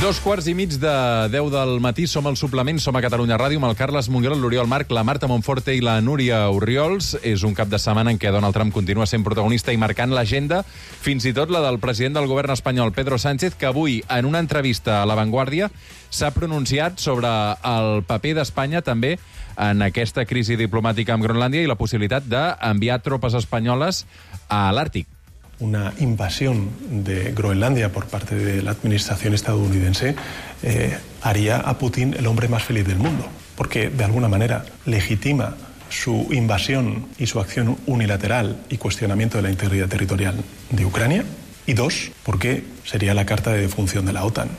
Dos quarts i mig de deu del matí, som al suplement, som a Catalunya Ràdio, amb el Carles Monguera, l'Oriol Marc, la Marta Monforte i la Núria Orriols. És un cap de setmana en què Donald Trump continua sent protagonista i marcant l'agenda, fins i tot la del president del govern espanyol, Pedro Sánchez, que avui, en una entrevista a La Vanguardia, s'ha pronunciat sobre el paper d'Espanya també en aquesta crisi diplomàtica amb Groenlàndia i la possibilitat d'enviar tropes espanyoles a l'Àrtic. Una invasión de Groenlandia por parte de la administración estadounidense eh, haría a Putin el hombre más feliz del mundo, porque de alguna manera legitima su invasión y su acción unilateral y cuestionamiento de la integridad territorial de Ucrania, y dos, porque sería la carta de defunción de la OTAN.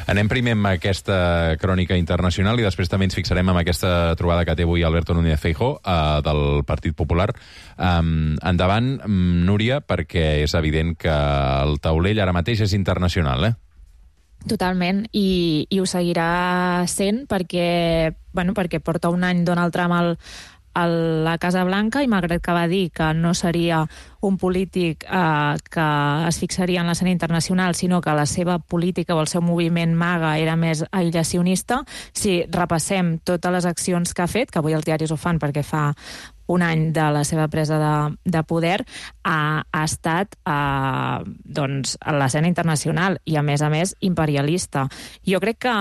Anem primer amb aquesta crònica internacional i després també ens fixarem en aquesta trobada que té avui Alberto Núñez Feijóo eh, del Partit Popular. Um, endavant, Núria, perquè és evident que el taulell ara mateix és internacional, eh? Totalment, i, i ho seguirà sent perquè, bueno, perquè porta un any Donald Trump al, a la Casa Blanca i malgrat que va dir que no seria un polític eh, que es fixaria en l'escena internacional, sinó que la seva política o el seu moviment MAGA era més aïllacionista, si repassem totes les accions que ha fet, que avui els diaris ho fan perquè fa un any de la seva presa de, de poder, ha, ha estat eh, doncs, a l'escena internacional i, a més a més, imperialista. Jo crec que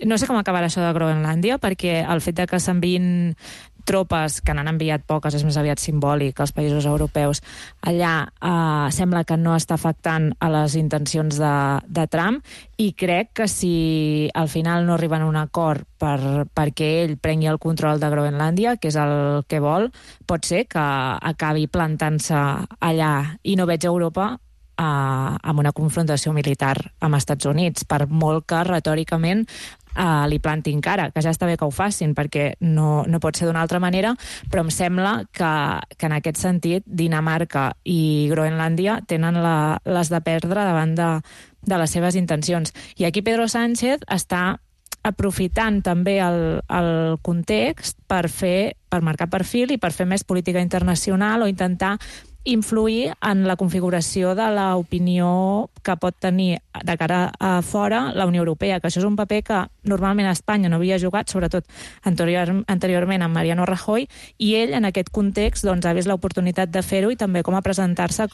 no sé com acabarà això de Groenlàndia, perquè el fet de que s'enviïn tropes, que n'han enviat poques, és més aviat simbòlic, als països europeus, allà eh, sembla que no està afectant a les intencions de, de Trump, i crec que si al final no arriben a un acord per, perquè ell prengui el control de Groenlàndia, que és el que vol, pot ser que acabi plantant-se allà i no veig Europa eh, amb una confrontació militar amb Estats Units, per molt que retòricament Uh, li plantin cara, que ja està bé que ho facin perquè no, no pot ser d'una altra manera, però em sembla que, que en aquest sentit Dinamarca i Groenlàndia tenen la, les de perdre davant de, de les seves intencions. I aquí Pedro Sánchez està aprofitant també el, el context per fer, per marcar perfil i per fer més política internacional o intentar influir en la configuració de l'opinió que pot tenir de cara a fora la Unió Europea, que això és un paper que normalment a Espanya no havia jugat, sobretot anterior, anteriorment amb Mariano Rajoy, i ell en aquest context doncs, ha vist l'oportunitat de fer-ho i també com a presentar-se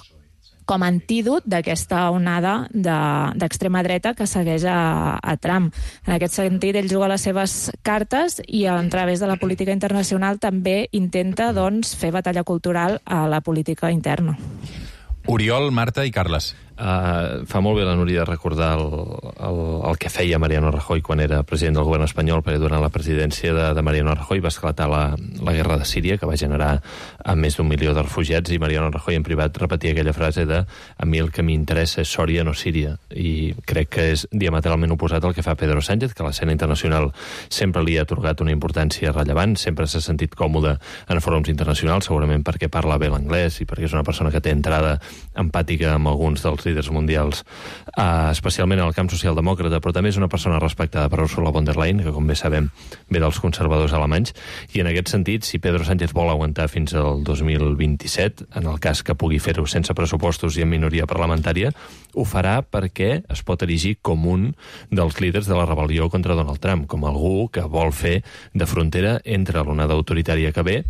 com a antídot d'aquesta onada d'extrema dreta que segueix a, a Trump. En aquest sentit, ell juga les seves cartes i a través de la política internacional també intenta doncs, fer batalla cultural a la política interna. Oriol, Marta i Carles. Uh, fa molt bé la Núria de recordar el, el, el que feia Mariano Rajoy quan era president del govern espanyol, perquè durant la presidència de, de Mariano Rajoy va esclatar la, la guerra de Síria, que va generar a més d'un milió de refugiats, i Mariano Rajoy en privat repetia aquella frase de a mi el que m'interessa és Sòria, no Síria, i crec que és diametralment oposat al que fa Pedro Sánchez, que a l'escena internacional sempre li ha atorgat una importància rellevant, sempre s'ha sentit còmode en fòrums internacionals, segurament perquè parla bé l'anglès i perquè és una persona que té entrada empàtica amb alguns dels líders mundials, eh, especialment en el camp socialdemòcrata, però també és una persona respectada per Ursula von der Leyen, que com bé sabem ve dels conservadors alemanys, i en aquest sentit, si Pedro Sánchez vol aguantar fins al dos mil vint-i-set, en el cas que pugui fer-ho sense pressupostos i en minoria parlamentària, ho farà perquè es pot erigir com un dels líders de la rebel·lió contra Donald Trump, com algú que vol fer de frontera entre l'onada autoritària que ve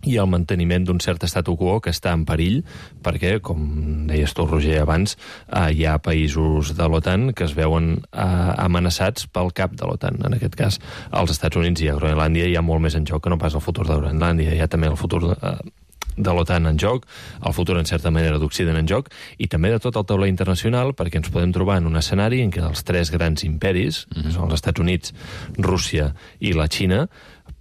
i el manteniment d'un cert statu quo que està en perill, perquè, com deies tu, Roger, abans, eh, hi ha països de l'OTAN que es veuen eh, amenaçats pel cap de l'OTAN. En aquest cas, als Estats Units i a Groenlàndia hi ha molt més en joc que no pas el futur de Groenlàndia. Hi ha també el futur de, eh, de l'OTAN en joc, el futur, en certa manera, d'Occident en joc, i també de tot el taulell internacional, perquè ens podem trobar en un escenari en què els tres grans imperis, mm-hmm. que són els Estats Units, Rússia i la Xina,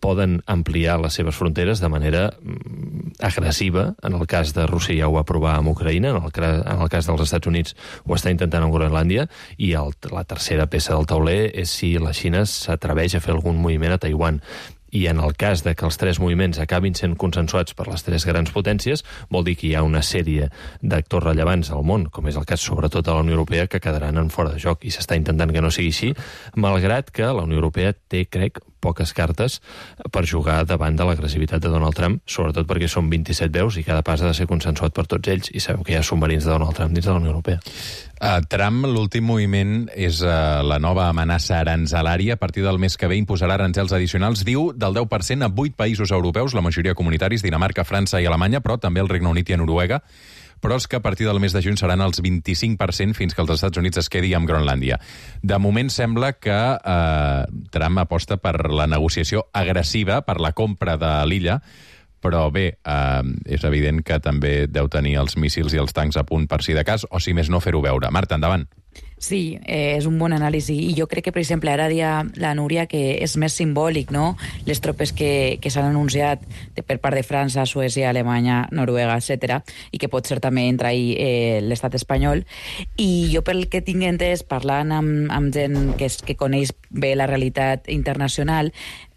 poden ampliar les seves fronteres de manera mm, agressiva. En el cas de Rússia ja ho va provar amb Ucraïna, en el, en el cas dels Estats Units ho està intentant amb Groenlàndia, i el, la tercera peça del tauler és si la Xina s'atreveix a fer algun moviment a Taiwan. i en el cas de que els tres moviments acabin sent consensuats per les tres grans potències, vol dir que hi ha una sèrie d'actors rellevants al món, com és el cas sobretot de la Unió Europea, que quedaran en fora de joc, i s'està intentant que no sigui així, malgrat que la Unió Europea té, crec, poques cartes per jugar davant de l'agressivitat de Donald Trump, sobretot perquè són vint-i-set veus i cada pas ha de ser consensuat per tots ells, i sabeu que hi ha submarins de Donald Trump dins de la Unió Europea. Uh, Trump, l'últim moviment és uh, la nova amenaça aranzelària. A partir del mes que ve imposarà aranzels addicionals, diu, del deu per cent a vuit països europeus, la majoria comunitaris, Dinamarca, França i Alemanya, però també el Regne Unit i a Noruega, però és que a partir del mes de juny seran els vint-i-cinc per cent fins que els Estats Units es quedi amb Groenlàndia. De moment sembla que eh, Trump aposta per la negociació agressiva, per la compra de l'illa, però bé, eh, és evident que també deu tenir els míssils i els tancs a punt per si de cas, o si més no fer-ho veure. Marta, endavant. Sí, eh, és un bon anàlisi. I jo crec que, per exemple, ara dia la Núria, que és més simbòlic, no?, les tropes que, que s'han anunciat de, per part de França, Suècia, Alemanya, Noruega, etcètera, i que pot ser també entre ahí eh, l'estat espanyol. I jo, pel que tinc entès, parlant amb, amb gent que, és, que coneix bé la realitat internacional,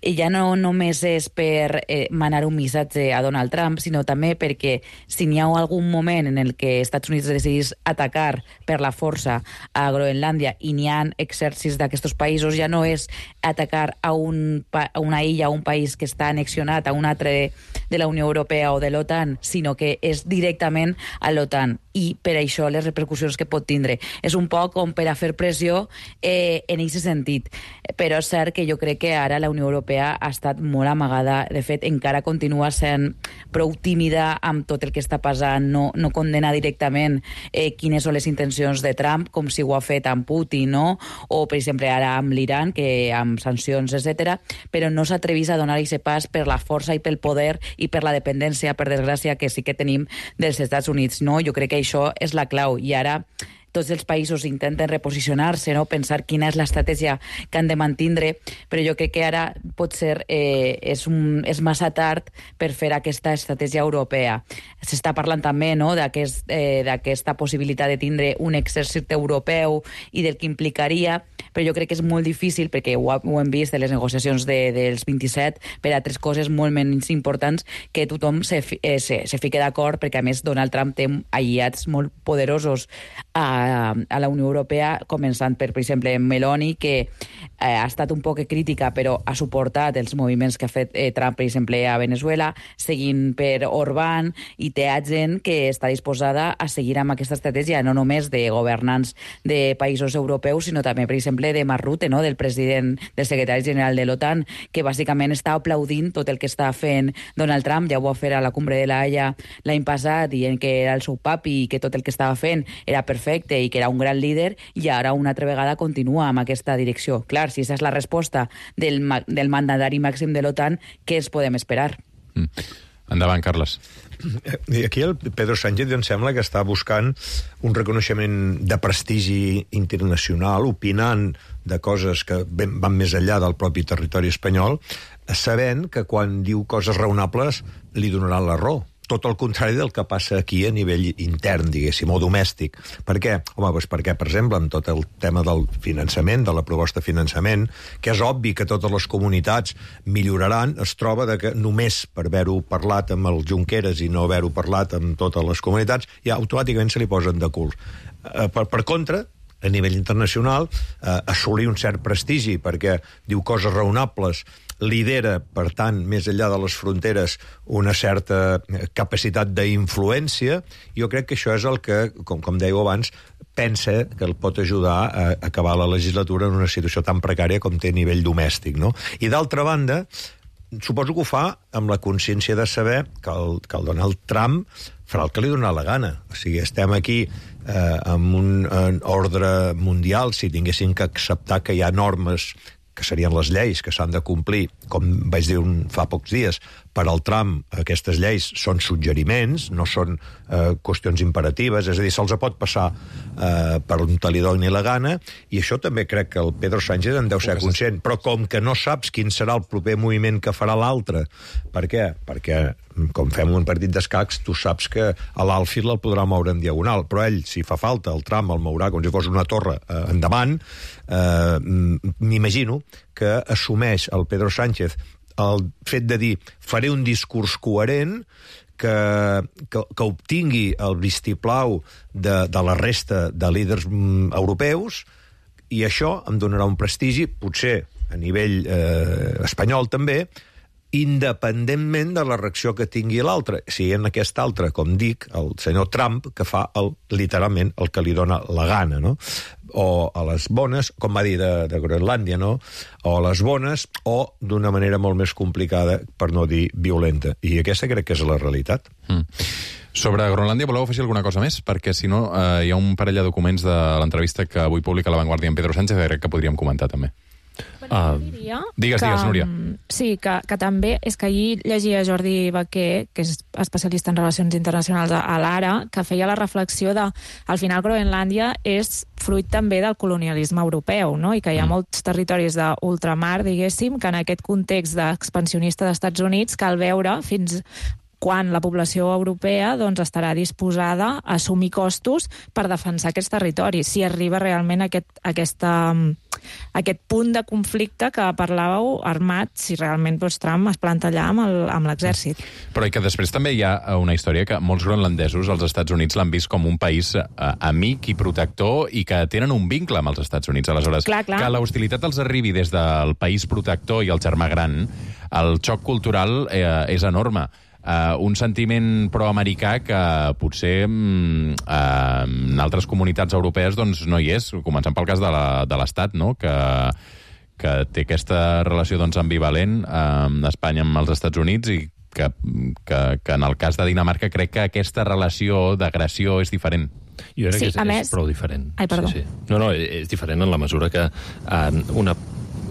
ja no només és per eh, manar un missatge a Donald Trump, sinó també perquè si n'hi ha algun moment en el que Estats Units decidís atacar per la força a Groenlàndia i n'hi ha exèrcits d'aquests països, ja no és atacar a, un, a una illa, a un país que està annexionat a un altre de, de la Unió Europea o de l'OTAN, sinó que és directament a l'OTAN, i per això les repercussions que pot tindre. És un poc com per a fer pressió eh, en aquest sentit. Però és cert que jo crec que ara la Unió Europea ha estat molt amagada. De fet, encara continua sent prou tímida amb tot el que està passant. No, no condena directament eh, quines són les intencions de Trump, com si ho ha fet amb Putin, no? O, per exemple, ara amb l'Iran, que amb sancions, etcètera, però no s'atrevís a donar aquest pas per la força i pel poder i per la dependència, per desgràcia, que sí que tenim dels Estats Units, no? Jo crec que això és la clau. I ara tots els països intenten reposicionar-se, no? Pensar quina és l'estratègia que han de mantindre, però jo crec que ara pot ser eh, és, un, és massa tard per fer aquesta estratègia europea. S'està parlant també, no?, d'aquest, eh, d'aquesta possibilitat de tindre un exèrcit europeu i del que implicaria, però jo crec que és molt difícil, perquè ho, ho hem vist de les negociacions de, dels vint-i-set, per a tres coses molt menys importants, que tothom se, eh, se, se fique d'acord, perquè a més Donald Trump té aliats molt poderosos a a la Unió Europea, començant per, per exemple, Meloni, que eh, ha estat un poc crítica, però ha suportat els moviments que ha fet eh, Trump, per exemple, a Venezuela, seguint per Orbán, i té gent que està disposada a seguir amb aquesta estratègia, no només de governants de països europeus, sinó també, per exemple, de Mark Rutte, no?, del president, del secretari general de l'OTAN, que bàsicament està aplaudint tot el que està fent Donald Trump. Ja ho va fer a la Cumbre de la Haya l'any passat, dient que era el seu papi i que tot el que estava fent era perfecte i que era un gran líder, i ara una altra vegada continua amb aquesta direcció. Clar, si aquesta és la resposta del, del mandatari màxim de l'OTAN, què es podem esperar? Mm. Endavant, Carles. I aquí el Pedro Sánchez em sembla que està buscant un reconeixement de prestigi internacional, opinant de coses que van més enllà del propi territori espanyol, sabent que quan diu coses raonables li donaran la raó. Tot el contrari del que passa aquí a nivell intern, diguéssim, o domèstic. Per què? Home, doncs perquè, per exemple, amb tot el tema del finançament, de la proposta de finançament, que és obvi que totes les comunitats milloraran, es troba de que només per haver-ho parlat amb el Junqueras i no haver-ho parlat amb totes les comunitats, ja automàticament se li posen de cul. Per, per contra, a nivell internacional, eh, assolir un cert prestigi, perquè diu coses raonables, lidera, per tant, més enllà de les fronteres, una certa capacitat d'influència. Jo crec que això és el que, com, com dèieu abans, pensa que el pot ajudar a acabar la legislatura en una situació tan precària com té a nivell domèstic, no? I d'altra banda, suposo que ho fa amb la consciència de saber que el, que el Donald Trump farà el que li dona la gana. O sigui, estem aquí eh, amb un en ordre mundial, si tinguéssim que acceptar que hi ha normes que serien les lleis que s'han de complir, com vaig dir un, fa pocs dies, per al Trump aquestes lleis són suggeriments, no són eh, qüestions imperatives, és a dir, se'ls pot passar eh, per on te li doni la gana, i això també crec que el Pedro Sánchez en deu ser conscient, però com que no saps quin serà el proper moviment que farà l'altre, per què? Perquè, com fem un partit d'escacs, tu saps que a l'àlfil el podrà moure en diagonal, però ell, si fa falta, el Trump el mourà com si fos una torre eh, endavant. eh, m'imagino que assumeix el Pedro Sánchez el fet de dir faré un discurs coherent que, que, que obtingui el vistiplau de, de la resta de líders mm, europeus, i això em donarà un prestigi, potser a nivell eh, espanyol també, independentment de la reacció que tingui l'altre. Si en aquest altre, com dic, el senyor Trump, que fa el, literalment el que li dona la gana, no? O a les bones, com va dir de, de Groenlàndia, no? O a les bones, o d'una manera molt més complicada, per no dir violenta. I aquesta crec que és la realitat. Mm. Sobre Groenlàndia, voleu afegir alguna cosa més? Perquè, si no, eh, hi ha un parell de documents de l'entrevista que avui publica La Vanguardia en Pedro Sánchez que crec que podríem comentar, també. Uh, diria digues, que, digues, Núria. Sí, que, que també és que ahir llegia Jordi Baquer, que és especialista en relacions internacionals a, a l'Ara, que feia la reflexió de, al final, Groenlàndia és fruit també del colonialisme europeu, no? I que hi ha mm. molts territoris d'ultramar, diguéssim, que en aquest context d'expansionista dels Estats Units cal veure fins quan la població europea doncs, estarà disposada a assumir costos per defensar aquests territoris, si arriba realment a aquest, a aquesta, a aquest punt de conflicte que parlàveu armat, si realment doncs, Trump es planta allà amb l'exèrcit. Però i que després també hi ha una història que molts groenlandesos als Estats Units l'han vist com un país eh, amic i protector i que tenen un vincle amb els Estats Units. Aleshores, clar, clar. que la hostilitat els arribi des del país protector i el germà gran, el xoc cultural eh, és enorme. Uh, un sentiment proamericà que potser uh, en altres comunitats europees doncs, no hi és, començant pel cas de l'Estat, no? que, que té aquesta relació doncs, ambivalent uh, Espanya amb els Estats Units i que, que, que en el cas de Dinamarca crec que aquesta relació d'agressió és diferent. Jo crec sí, que és, més... és prou diferent. Ai, perdó. Sí, sí. No, no, és diferent en la mesura que uh, una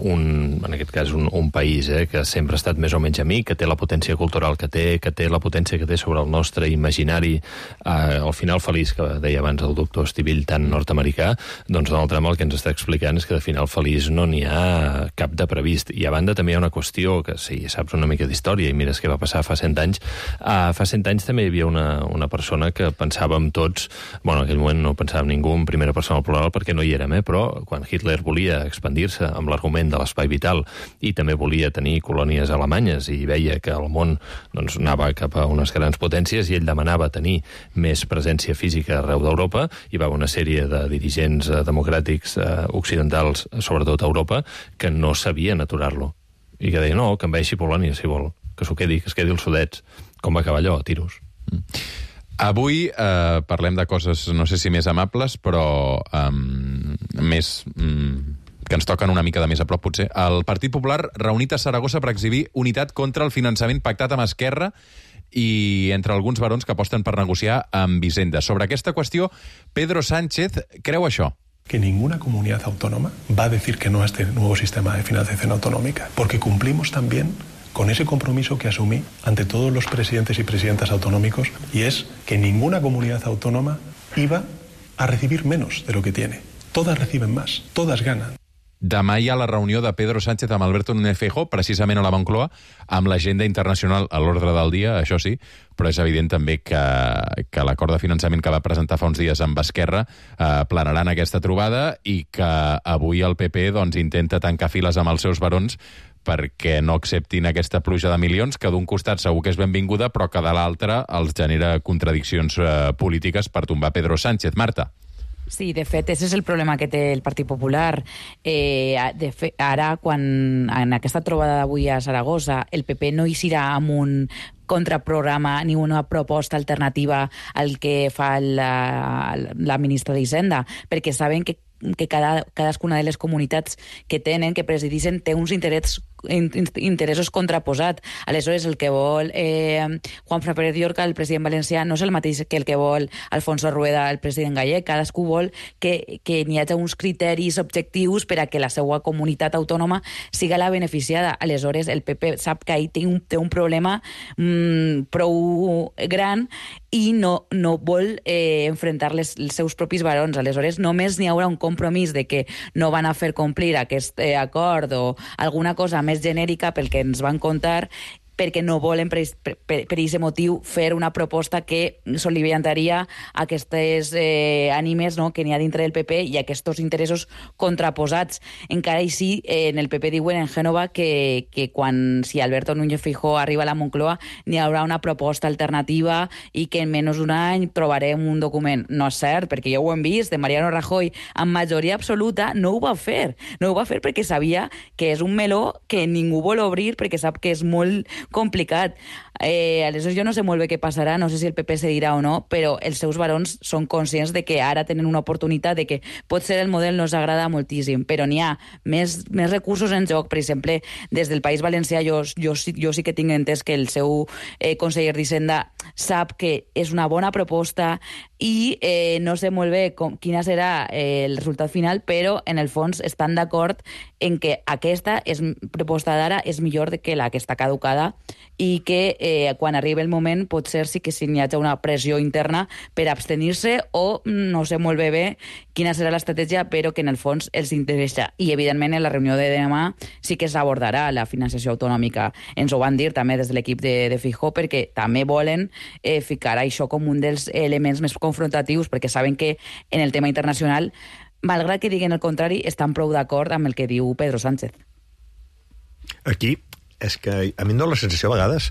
un, en aquest cas un, un país eh, que sempre ha estat més o menys amic, que té la potència cultural que té, que té la potència que té sobre el nostre imaginari, eh, al final feliç, que deia abans el doctor Estivill, tan nord-americà, doncs Donald Trump el que ens està explicant és que de final feliç no n'hi ha cap de previst. I a banda també hi ha una qüestió que si saps una mica d'història i mires què va passar fa cent anys, eh, fa cent anys també hi havia una, una persona que pensàvem tots, bueno, en aquell moment no pensàvem ningú en primera persona al plural perquè no hi érem, eh, però quan Hitler volia expandir-se amb l'argument de l'espai vital i també volia tenir colònies alemanyes i veia que el món doncs, anava cap a unes grans potències i ell demanava tenir més presència física arreu d'Europa, hi va una sèrie de dirigents eh, democràtics eh, occidentals, sobretot a Europa, que no sabien aturar-lo i que deien, no, que envaeixi Polònia si vol, que s'ho quedi, que es quedi els Sudets. Com va acabar allò? A tiros. Mm. Avui eh, parlem de coses, no sé si més amables, però eh, més... Mm, que ens toquen una mica de més a prop, potser. El Partit Popular reunit a Saragossa per exhibir unitat contra el finançament pactat amb Esquerra i entre alguns barons que aposten per negociar amb Hisenda. Sobre aquesta qüestió, Pedro Sánchez creu això. Que ninguna comunidad autónoma va a decir que no a este nuevo sistema de financiación autonómica, porque cumplimos también con ese compromiso que asumí ante todos los presidentes y presidentas autonómicos, y es que ninguna comunidad autónoma iba a recibir menos de lo que tiene. Todas reciben más, todas ganan. Demà hi ha la reunió de Pedro Sánchez amb Alberto Núñez Feijóo, precisament a la Moncloa, amb l'agenda internacional a l'ordre del dia, això sí, però és evident també que, que l'acord de finançament que va presentar fa uns dies amb Esquerra eh, planarà en aquesta trobada i que avui el P P doncs, intenta tancar files amb els seus barons perquè no acceptin aquesta pluja de milions, que d'un costat segur que és benvinguda, però que de l'altre els genera contradiccions eh, polítiques per tombar Pedro Sánchez. Marta. Sí, de fet, ese és el problema que té el Partit Popular. Eh, de fet, ara, quan en aquesta trobada d'avui a Saragossa, el P P no hi serà amb un contraprograma ni una proposta alternativa al que fa la, la ministra d'Hisenda, perquè saben que que cada, cadascuna de les comunitats que tenen, que presideixen, té uns interessos interessos contraposats. Aleshores, el que vol eh, Juanfran Pérez Llorca, el president valencià, no és el mateix que el que vol Alfonso Rueda, el president gallec. Cadascú vol que, que n'hi hagi uns criteris objectius per a que la seva comunitat autònoma siga la beneficiada. Aleshores, el P P sap que ahí té un, té un problema mmm, prou gran i no, no vol eh, enfrontar les, els seus propis barons. Aleshores, només n'hi haurà un compromís de que no van a fer complir aquest eh, acord o alguna cosa més genèrica pel que ens van contar perquè no volen per aquest motiu fer una proposta que soliviantaria aquestes eh, ànimes, no?, que n'hi ha dintre del P P i aquests interessos contraposats. Encara així, eh, en el P P diuen en Gènova que, que quan, si Alberto Núñez Feijóo arriba a la Moncloa, n'hi haurà una proposta alternativa i que en menys d'un any trobarem un document. No és cert, perquè ja ho hem vist, de Mariano Rajoy, amb majoria absoluta, no ho va fer. No ho va fer perquè sabia que és un meló que ningú vol obrir perquè sap que és molt complicat. Eh, aleshores jo no sé molt bé què passarà, no sé si el P P se dirà o no, però els seus barons són conscients de que ara tenen una oportunitat, de que potser el model no els agrada moltíssim, però n'hi ha més, més recursos en joc. Per exemple, des del País Valencià jo, jo, jo sí que tinc entès que el seu eh, conseller d'Hisenda sap que és una bona proposta i eh, no sé molt bé com, quina serà eh, el resultat final, però en el fons estan d'acord en que aquesta és, proposta d'ara és millor que la que està caducada i que eh, quan arribi el moment potser sí que si n'hi hagi una pressió interna per abstenir-se o no sé molt bé bé quina serà l'estratègia, però que en el fons els interessa. I evidentment en la reunió de demà sí que s'abordarà la financiació autonòmica. Ens ho van dir també des de l'equip de, de Feijóo, perquè també volen eh, ficar això com un dels elements més confrontatius, perquè saben que en el tema internacional, malgrat que diguen el contrari, estan prou d'acord amb el que diu Pedro Sánchez. Aquí és que a mi em dóna la sensació a vegades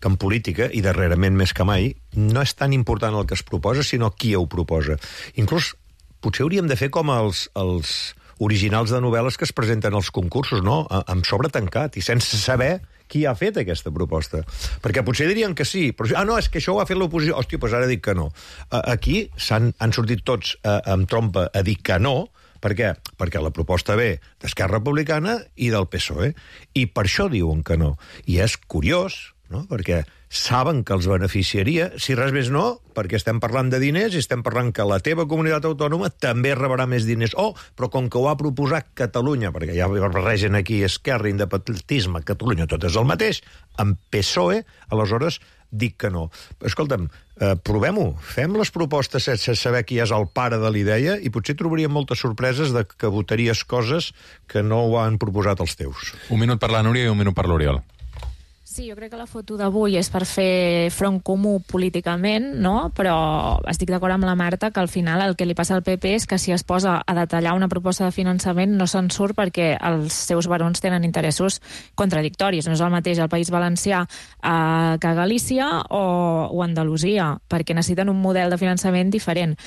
que en política, i darrerament més que mai, no és tan important el que es proposa, sinó qui ho proposa. Inclús potser hauríem de fer com els, els originals de novel·les que es presenten als concursos, no? Amb sobre tancat i sense saber qui ha fet aquesta proposta. Perquè potser dirien que sí, però ah, no, és que això ho ha fet l'oposició. Hòstia, doncs ara dic que no. Aquí s'han, han sortit tots eh, amb trompa a dir que no. Per què? Perquè la proposta ve d'Esquerra Republicana i del P S O E. I per això diuen que no. I és curiós, no?, perquè saben que els beneficiaria, si res més no, perquè estem parlant de diners i estem parlant que la teva comunitat autònoma també rebrà més diners. Oh, però com que ho ha proposat Catalunya, perquè ja barregen aquí esquerra, independentisme, Catalunya, tot és el mateix, amb P S O E, aleshores dic que no. Escolta'm, eh, provem-ho, fem les propostes sense saber qui és el pare de l'idea i potser trobaríem moltes sorpreses de que votaries coses que no ho han proposat els teus. Un minut per la Núria i un minut per l'Oriol. Sí, jo crec que la foto d'avui és per fer front comú políticament, no? Però estic d'acord amb la Marta que al final el que li passa al P P és que si es posa a detallar una proposta de finançament no se'n surt perquè els seus barons tenen interessos contradictoris. No és el mateix al País Valencià eh, que a Galícia o, o Andalusia, perquè necessiten un model de finançament diferent.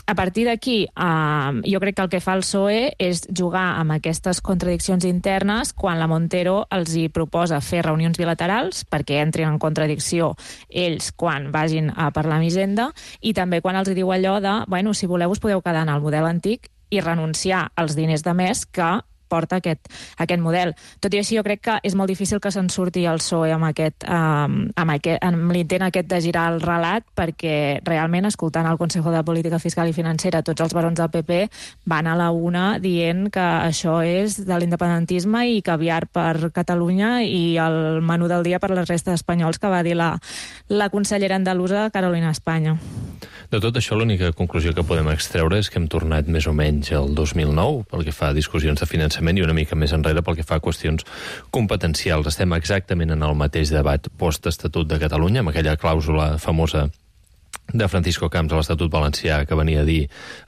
A partir d'aquí, eh, jo crec que el que fa el P S O E és jugar amb aquestes contradiccions internes quan la Montero els hi proposa fer reunions bilaterals perquè entrin en contradicció ells quan vagin a parlar amb Hisenda i també quan els diu allò de, bueno, si voleu us podeu quedar en el model antic i renunciar als diners de més que porta aquest, aquest model. Tot i així, jo crec que és molt difícil que se'n surti el P S O E amb, aquest, um, amb, aquest, amb l'intent aquest de girar el relat, perquè realment, escoltant el Consejo de Política Fiscal i Financera, tots els barons del P P van a la una dient que això és de l'independentisme i caviar per Catalunya i el menú del dia per la resta d'espanyols que va dir la, la consellera andalusa Carolina Espanya. De tot això, l'única conclusió que podem extreure és que hem tornat més o menys al dos mil nou pel que fa a discussions de finançament i una mica més enrere pel que fa a qüestions competencials. Estem exactament en el mateix debat post-Estatut de Catalunya, amb aquella clàusula famosa de Francisco Camps a l'Estatut Valencià que venia a dir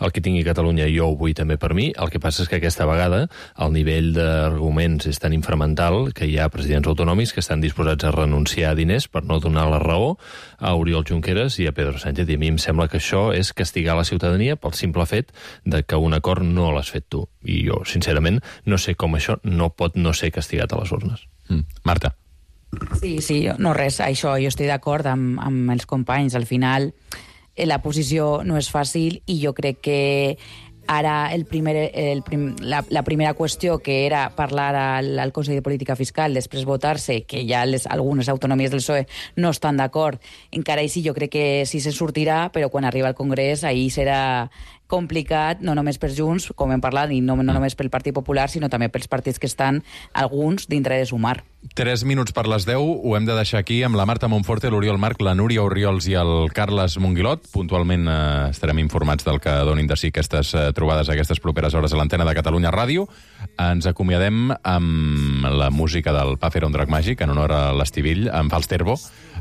el que tingui Catalunya jo ho vull també per mi. El que passa és que aquesta vegada el nivell d'arguments és tan inframental que hi ha presidents autonòmics que estan disposats a renunciar a diners per no donar la raó a Oriol Junqueras i a Pedro Sánchez. I a mi em sembla que això és castigar la ciutadania pel simple fet de que un acord no l'has fet tu. I jo, sincerament, no sé com això no pot no ser castigat a les urnes. Mm. Marta. Sí, sí, no res, això jo estic d'acord amb, amb els companys. Al final la posició no és fàcil i jo crec que ara el primer, el prim, la, la primera qüestió, que era parlar al, al Consell de Política Fiscal, després votar-se, que ja les, algunes autonomies del P S O E no estan d'acord, encara així jo crec que sí se sortirà, però quan arriba al Congrés ahir serà complicat, no només per Junts, com hem parlat, i no, no només pel Partit Popular, sinó també pels partits que estan, alguns, dintre de Sumar. Tres minuts per les deu, ho hem de deixar aquí amb la Marta Monforte, l'Oriol Marc, la Núria Orriols i el Carles Monguilot. Puntualment eh, estarem informats del que donin de si aquestes eh, trobades aquestes properes hores a l'antena de Catalunya Ràdio. Ens acomiadem amb la música del Puff era un drac màgic, en honor a l'Estivill, amb Falsterbo,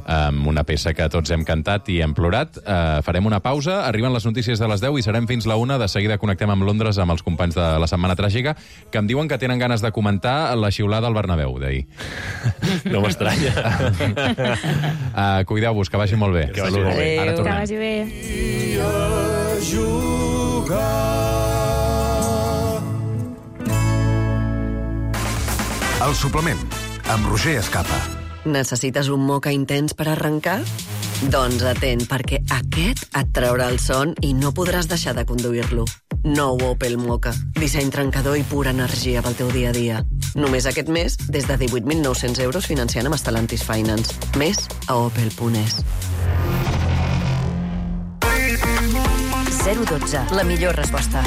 amb una peça que tots hem cantat i hem plorat. Uh, farem una pausa, arriben les notícies de les deu i serem fins la una. De seguida connectem amb Londres amb els companys de la Setmana Tràgica, que em diuen que tenen ganes de comentar la xiulada al Bernabéu d'ahir. No m'estranya. uh, Cuideu-vos, que vagi molt bé. Que vagi molt bé. Ara tornem. Que vagi bé. El suplement, amb Roger Escapa. Necessites un moca intens per arrencar? Doncs atent, perquè aquest et traurà el son i no podràs deixar de conduir-lo. Nou Opel Moka. Disseny trencador i pura energia pel teu dia a dia. Només aquest mes, des de divuit mil nou-cents euros financiant amb Stellantis Finance. Més a opel punt es. zero dotze, la millor resposta.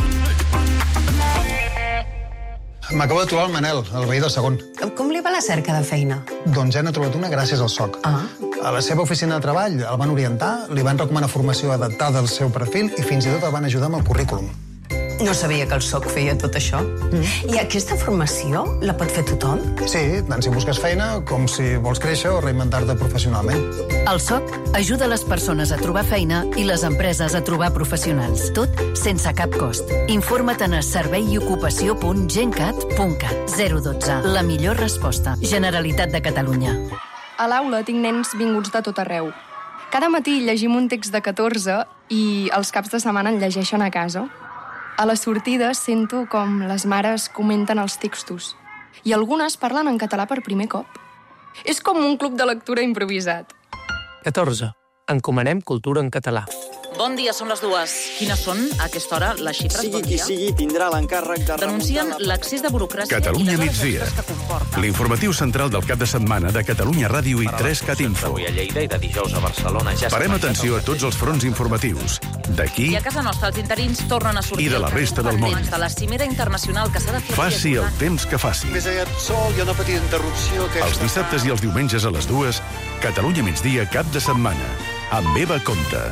M'acabo de trobar el Manel, el veí del segon. Com li va la cerca de feina? Doncs ja n'he trobat una gràcies al S O C. Ah. A la seva oficina de treball el van orientar, li van recomanar formació adaptada al seu perfil i fins i tot el van ajudar amb el currículum. No sabia que el S O C feia tot això. Mm. I aquesta formació la pot fer tothom? Sí, tant si busques feina com si vols créixer o reinventar-te professionalment. El S O C ajuda les persones a trobar feina i les empreses a trobar professionals. Tot sense cap cost. Informa't a servei i ocupació punt gencat punt cat. zero dotze. La millor resposta. Generalitat de Catalunya. A l'aula tinc nens vinguts de tot arreu. Cada matí llegim un text de catorze i els caps de setmana en llegeixen a casa. A les sortides sento com les mares comenten els textos i algunes parlen en català per primer cop. És com un club de lectura improvisat. catorze. Encomanem cultura en català. Bon dia, són les dues. Quines són, a aquesta hora, les xifres? Sigui bon qui sigui, tindrà l'encàrrec de... Denuncien l'accés de burocràcia Catalunya i les migdia. hores extres que comporta. L'informatiu central del cap de setmana de Catalunya Ràdio i tres cat info. Avui a Lleida i de dijous a Barcelona ja... Parem atenció a tots els fronts informatius. D'aquí I a casa nostra els interins tornen a sortir... i de la resta del món. De la cimera internacional que s'ha de fer... Faci el temps que faci. Més aviat sol, hi ha una petita interrupció que... Els dissabtes i els diumenges a les dues, Catalunya migdia cap de setmana. Amb Eva Comte.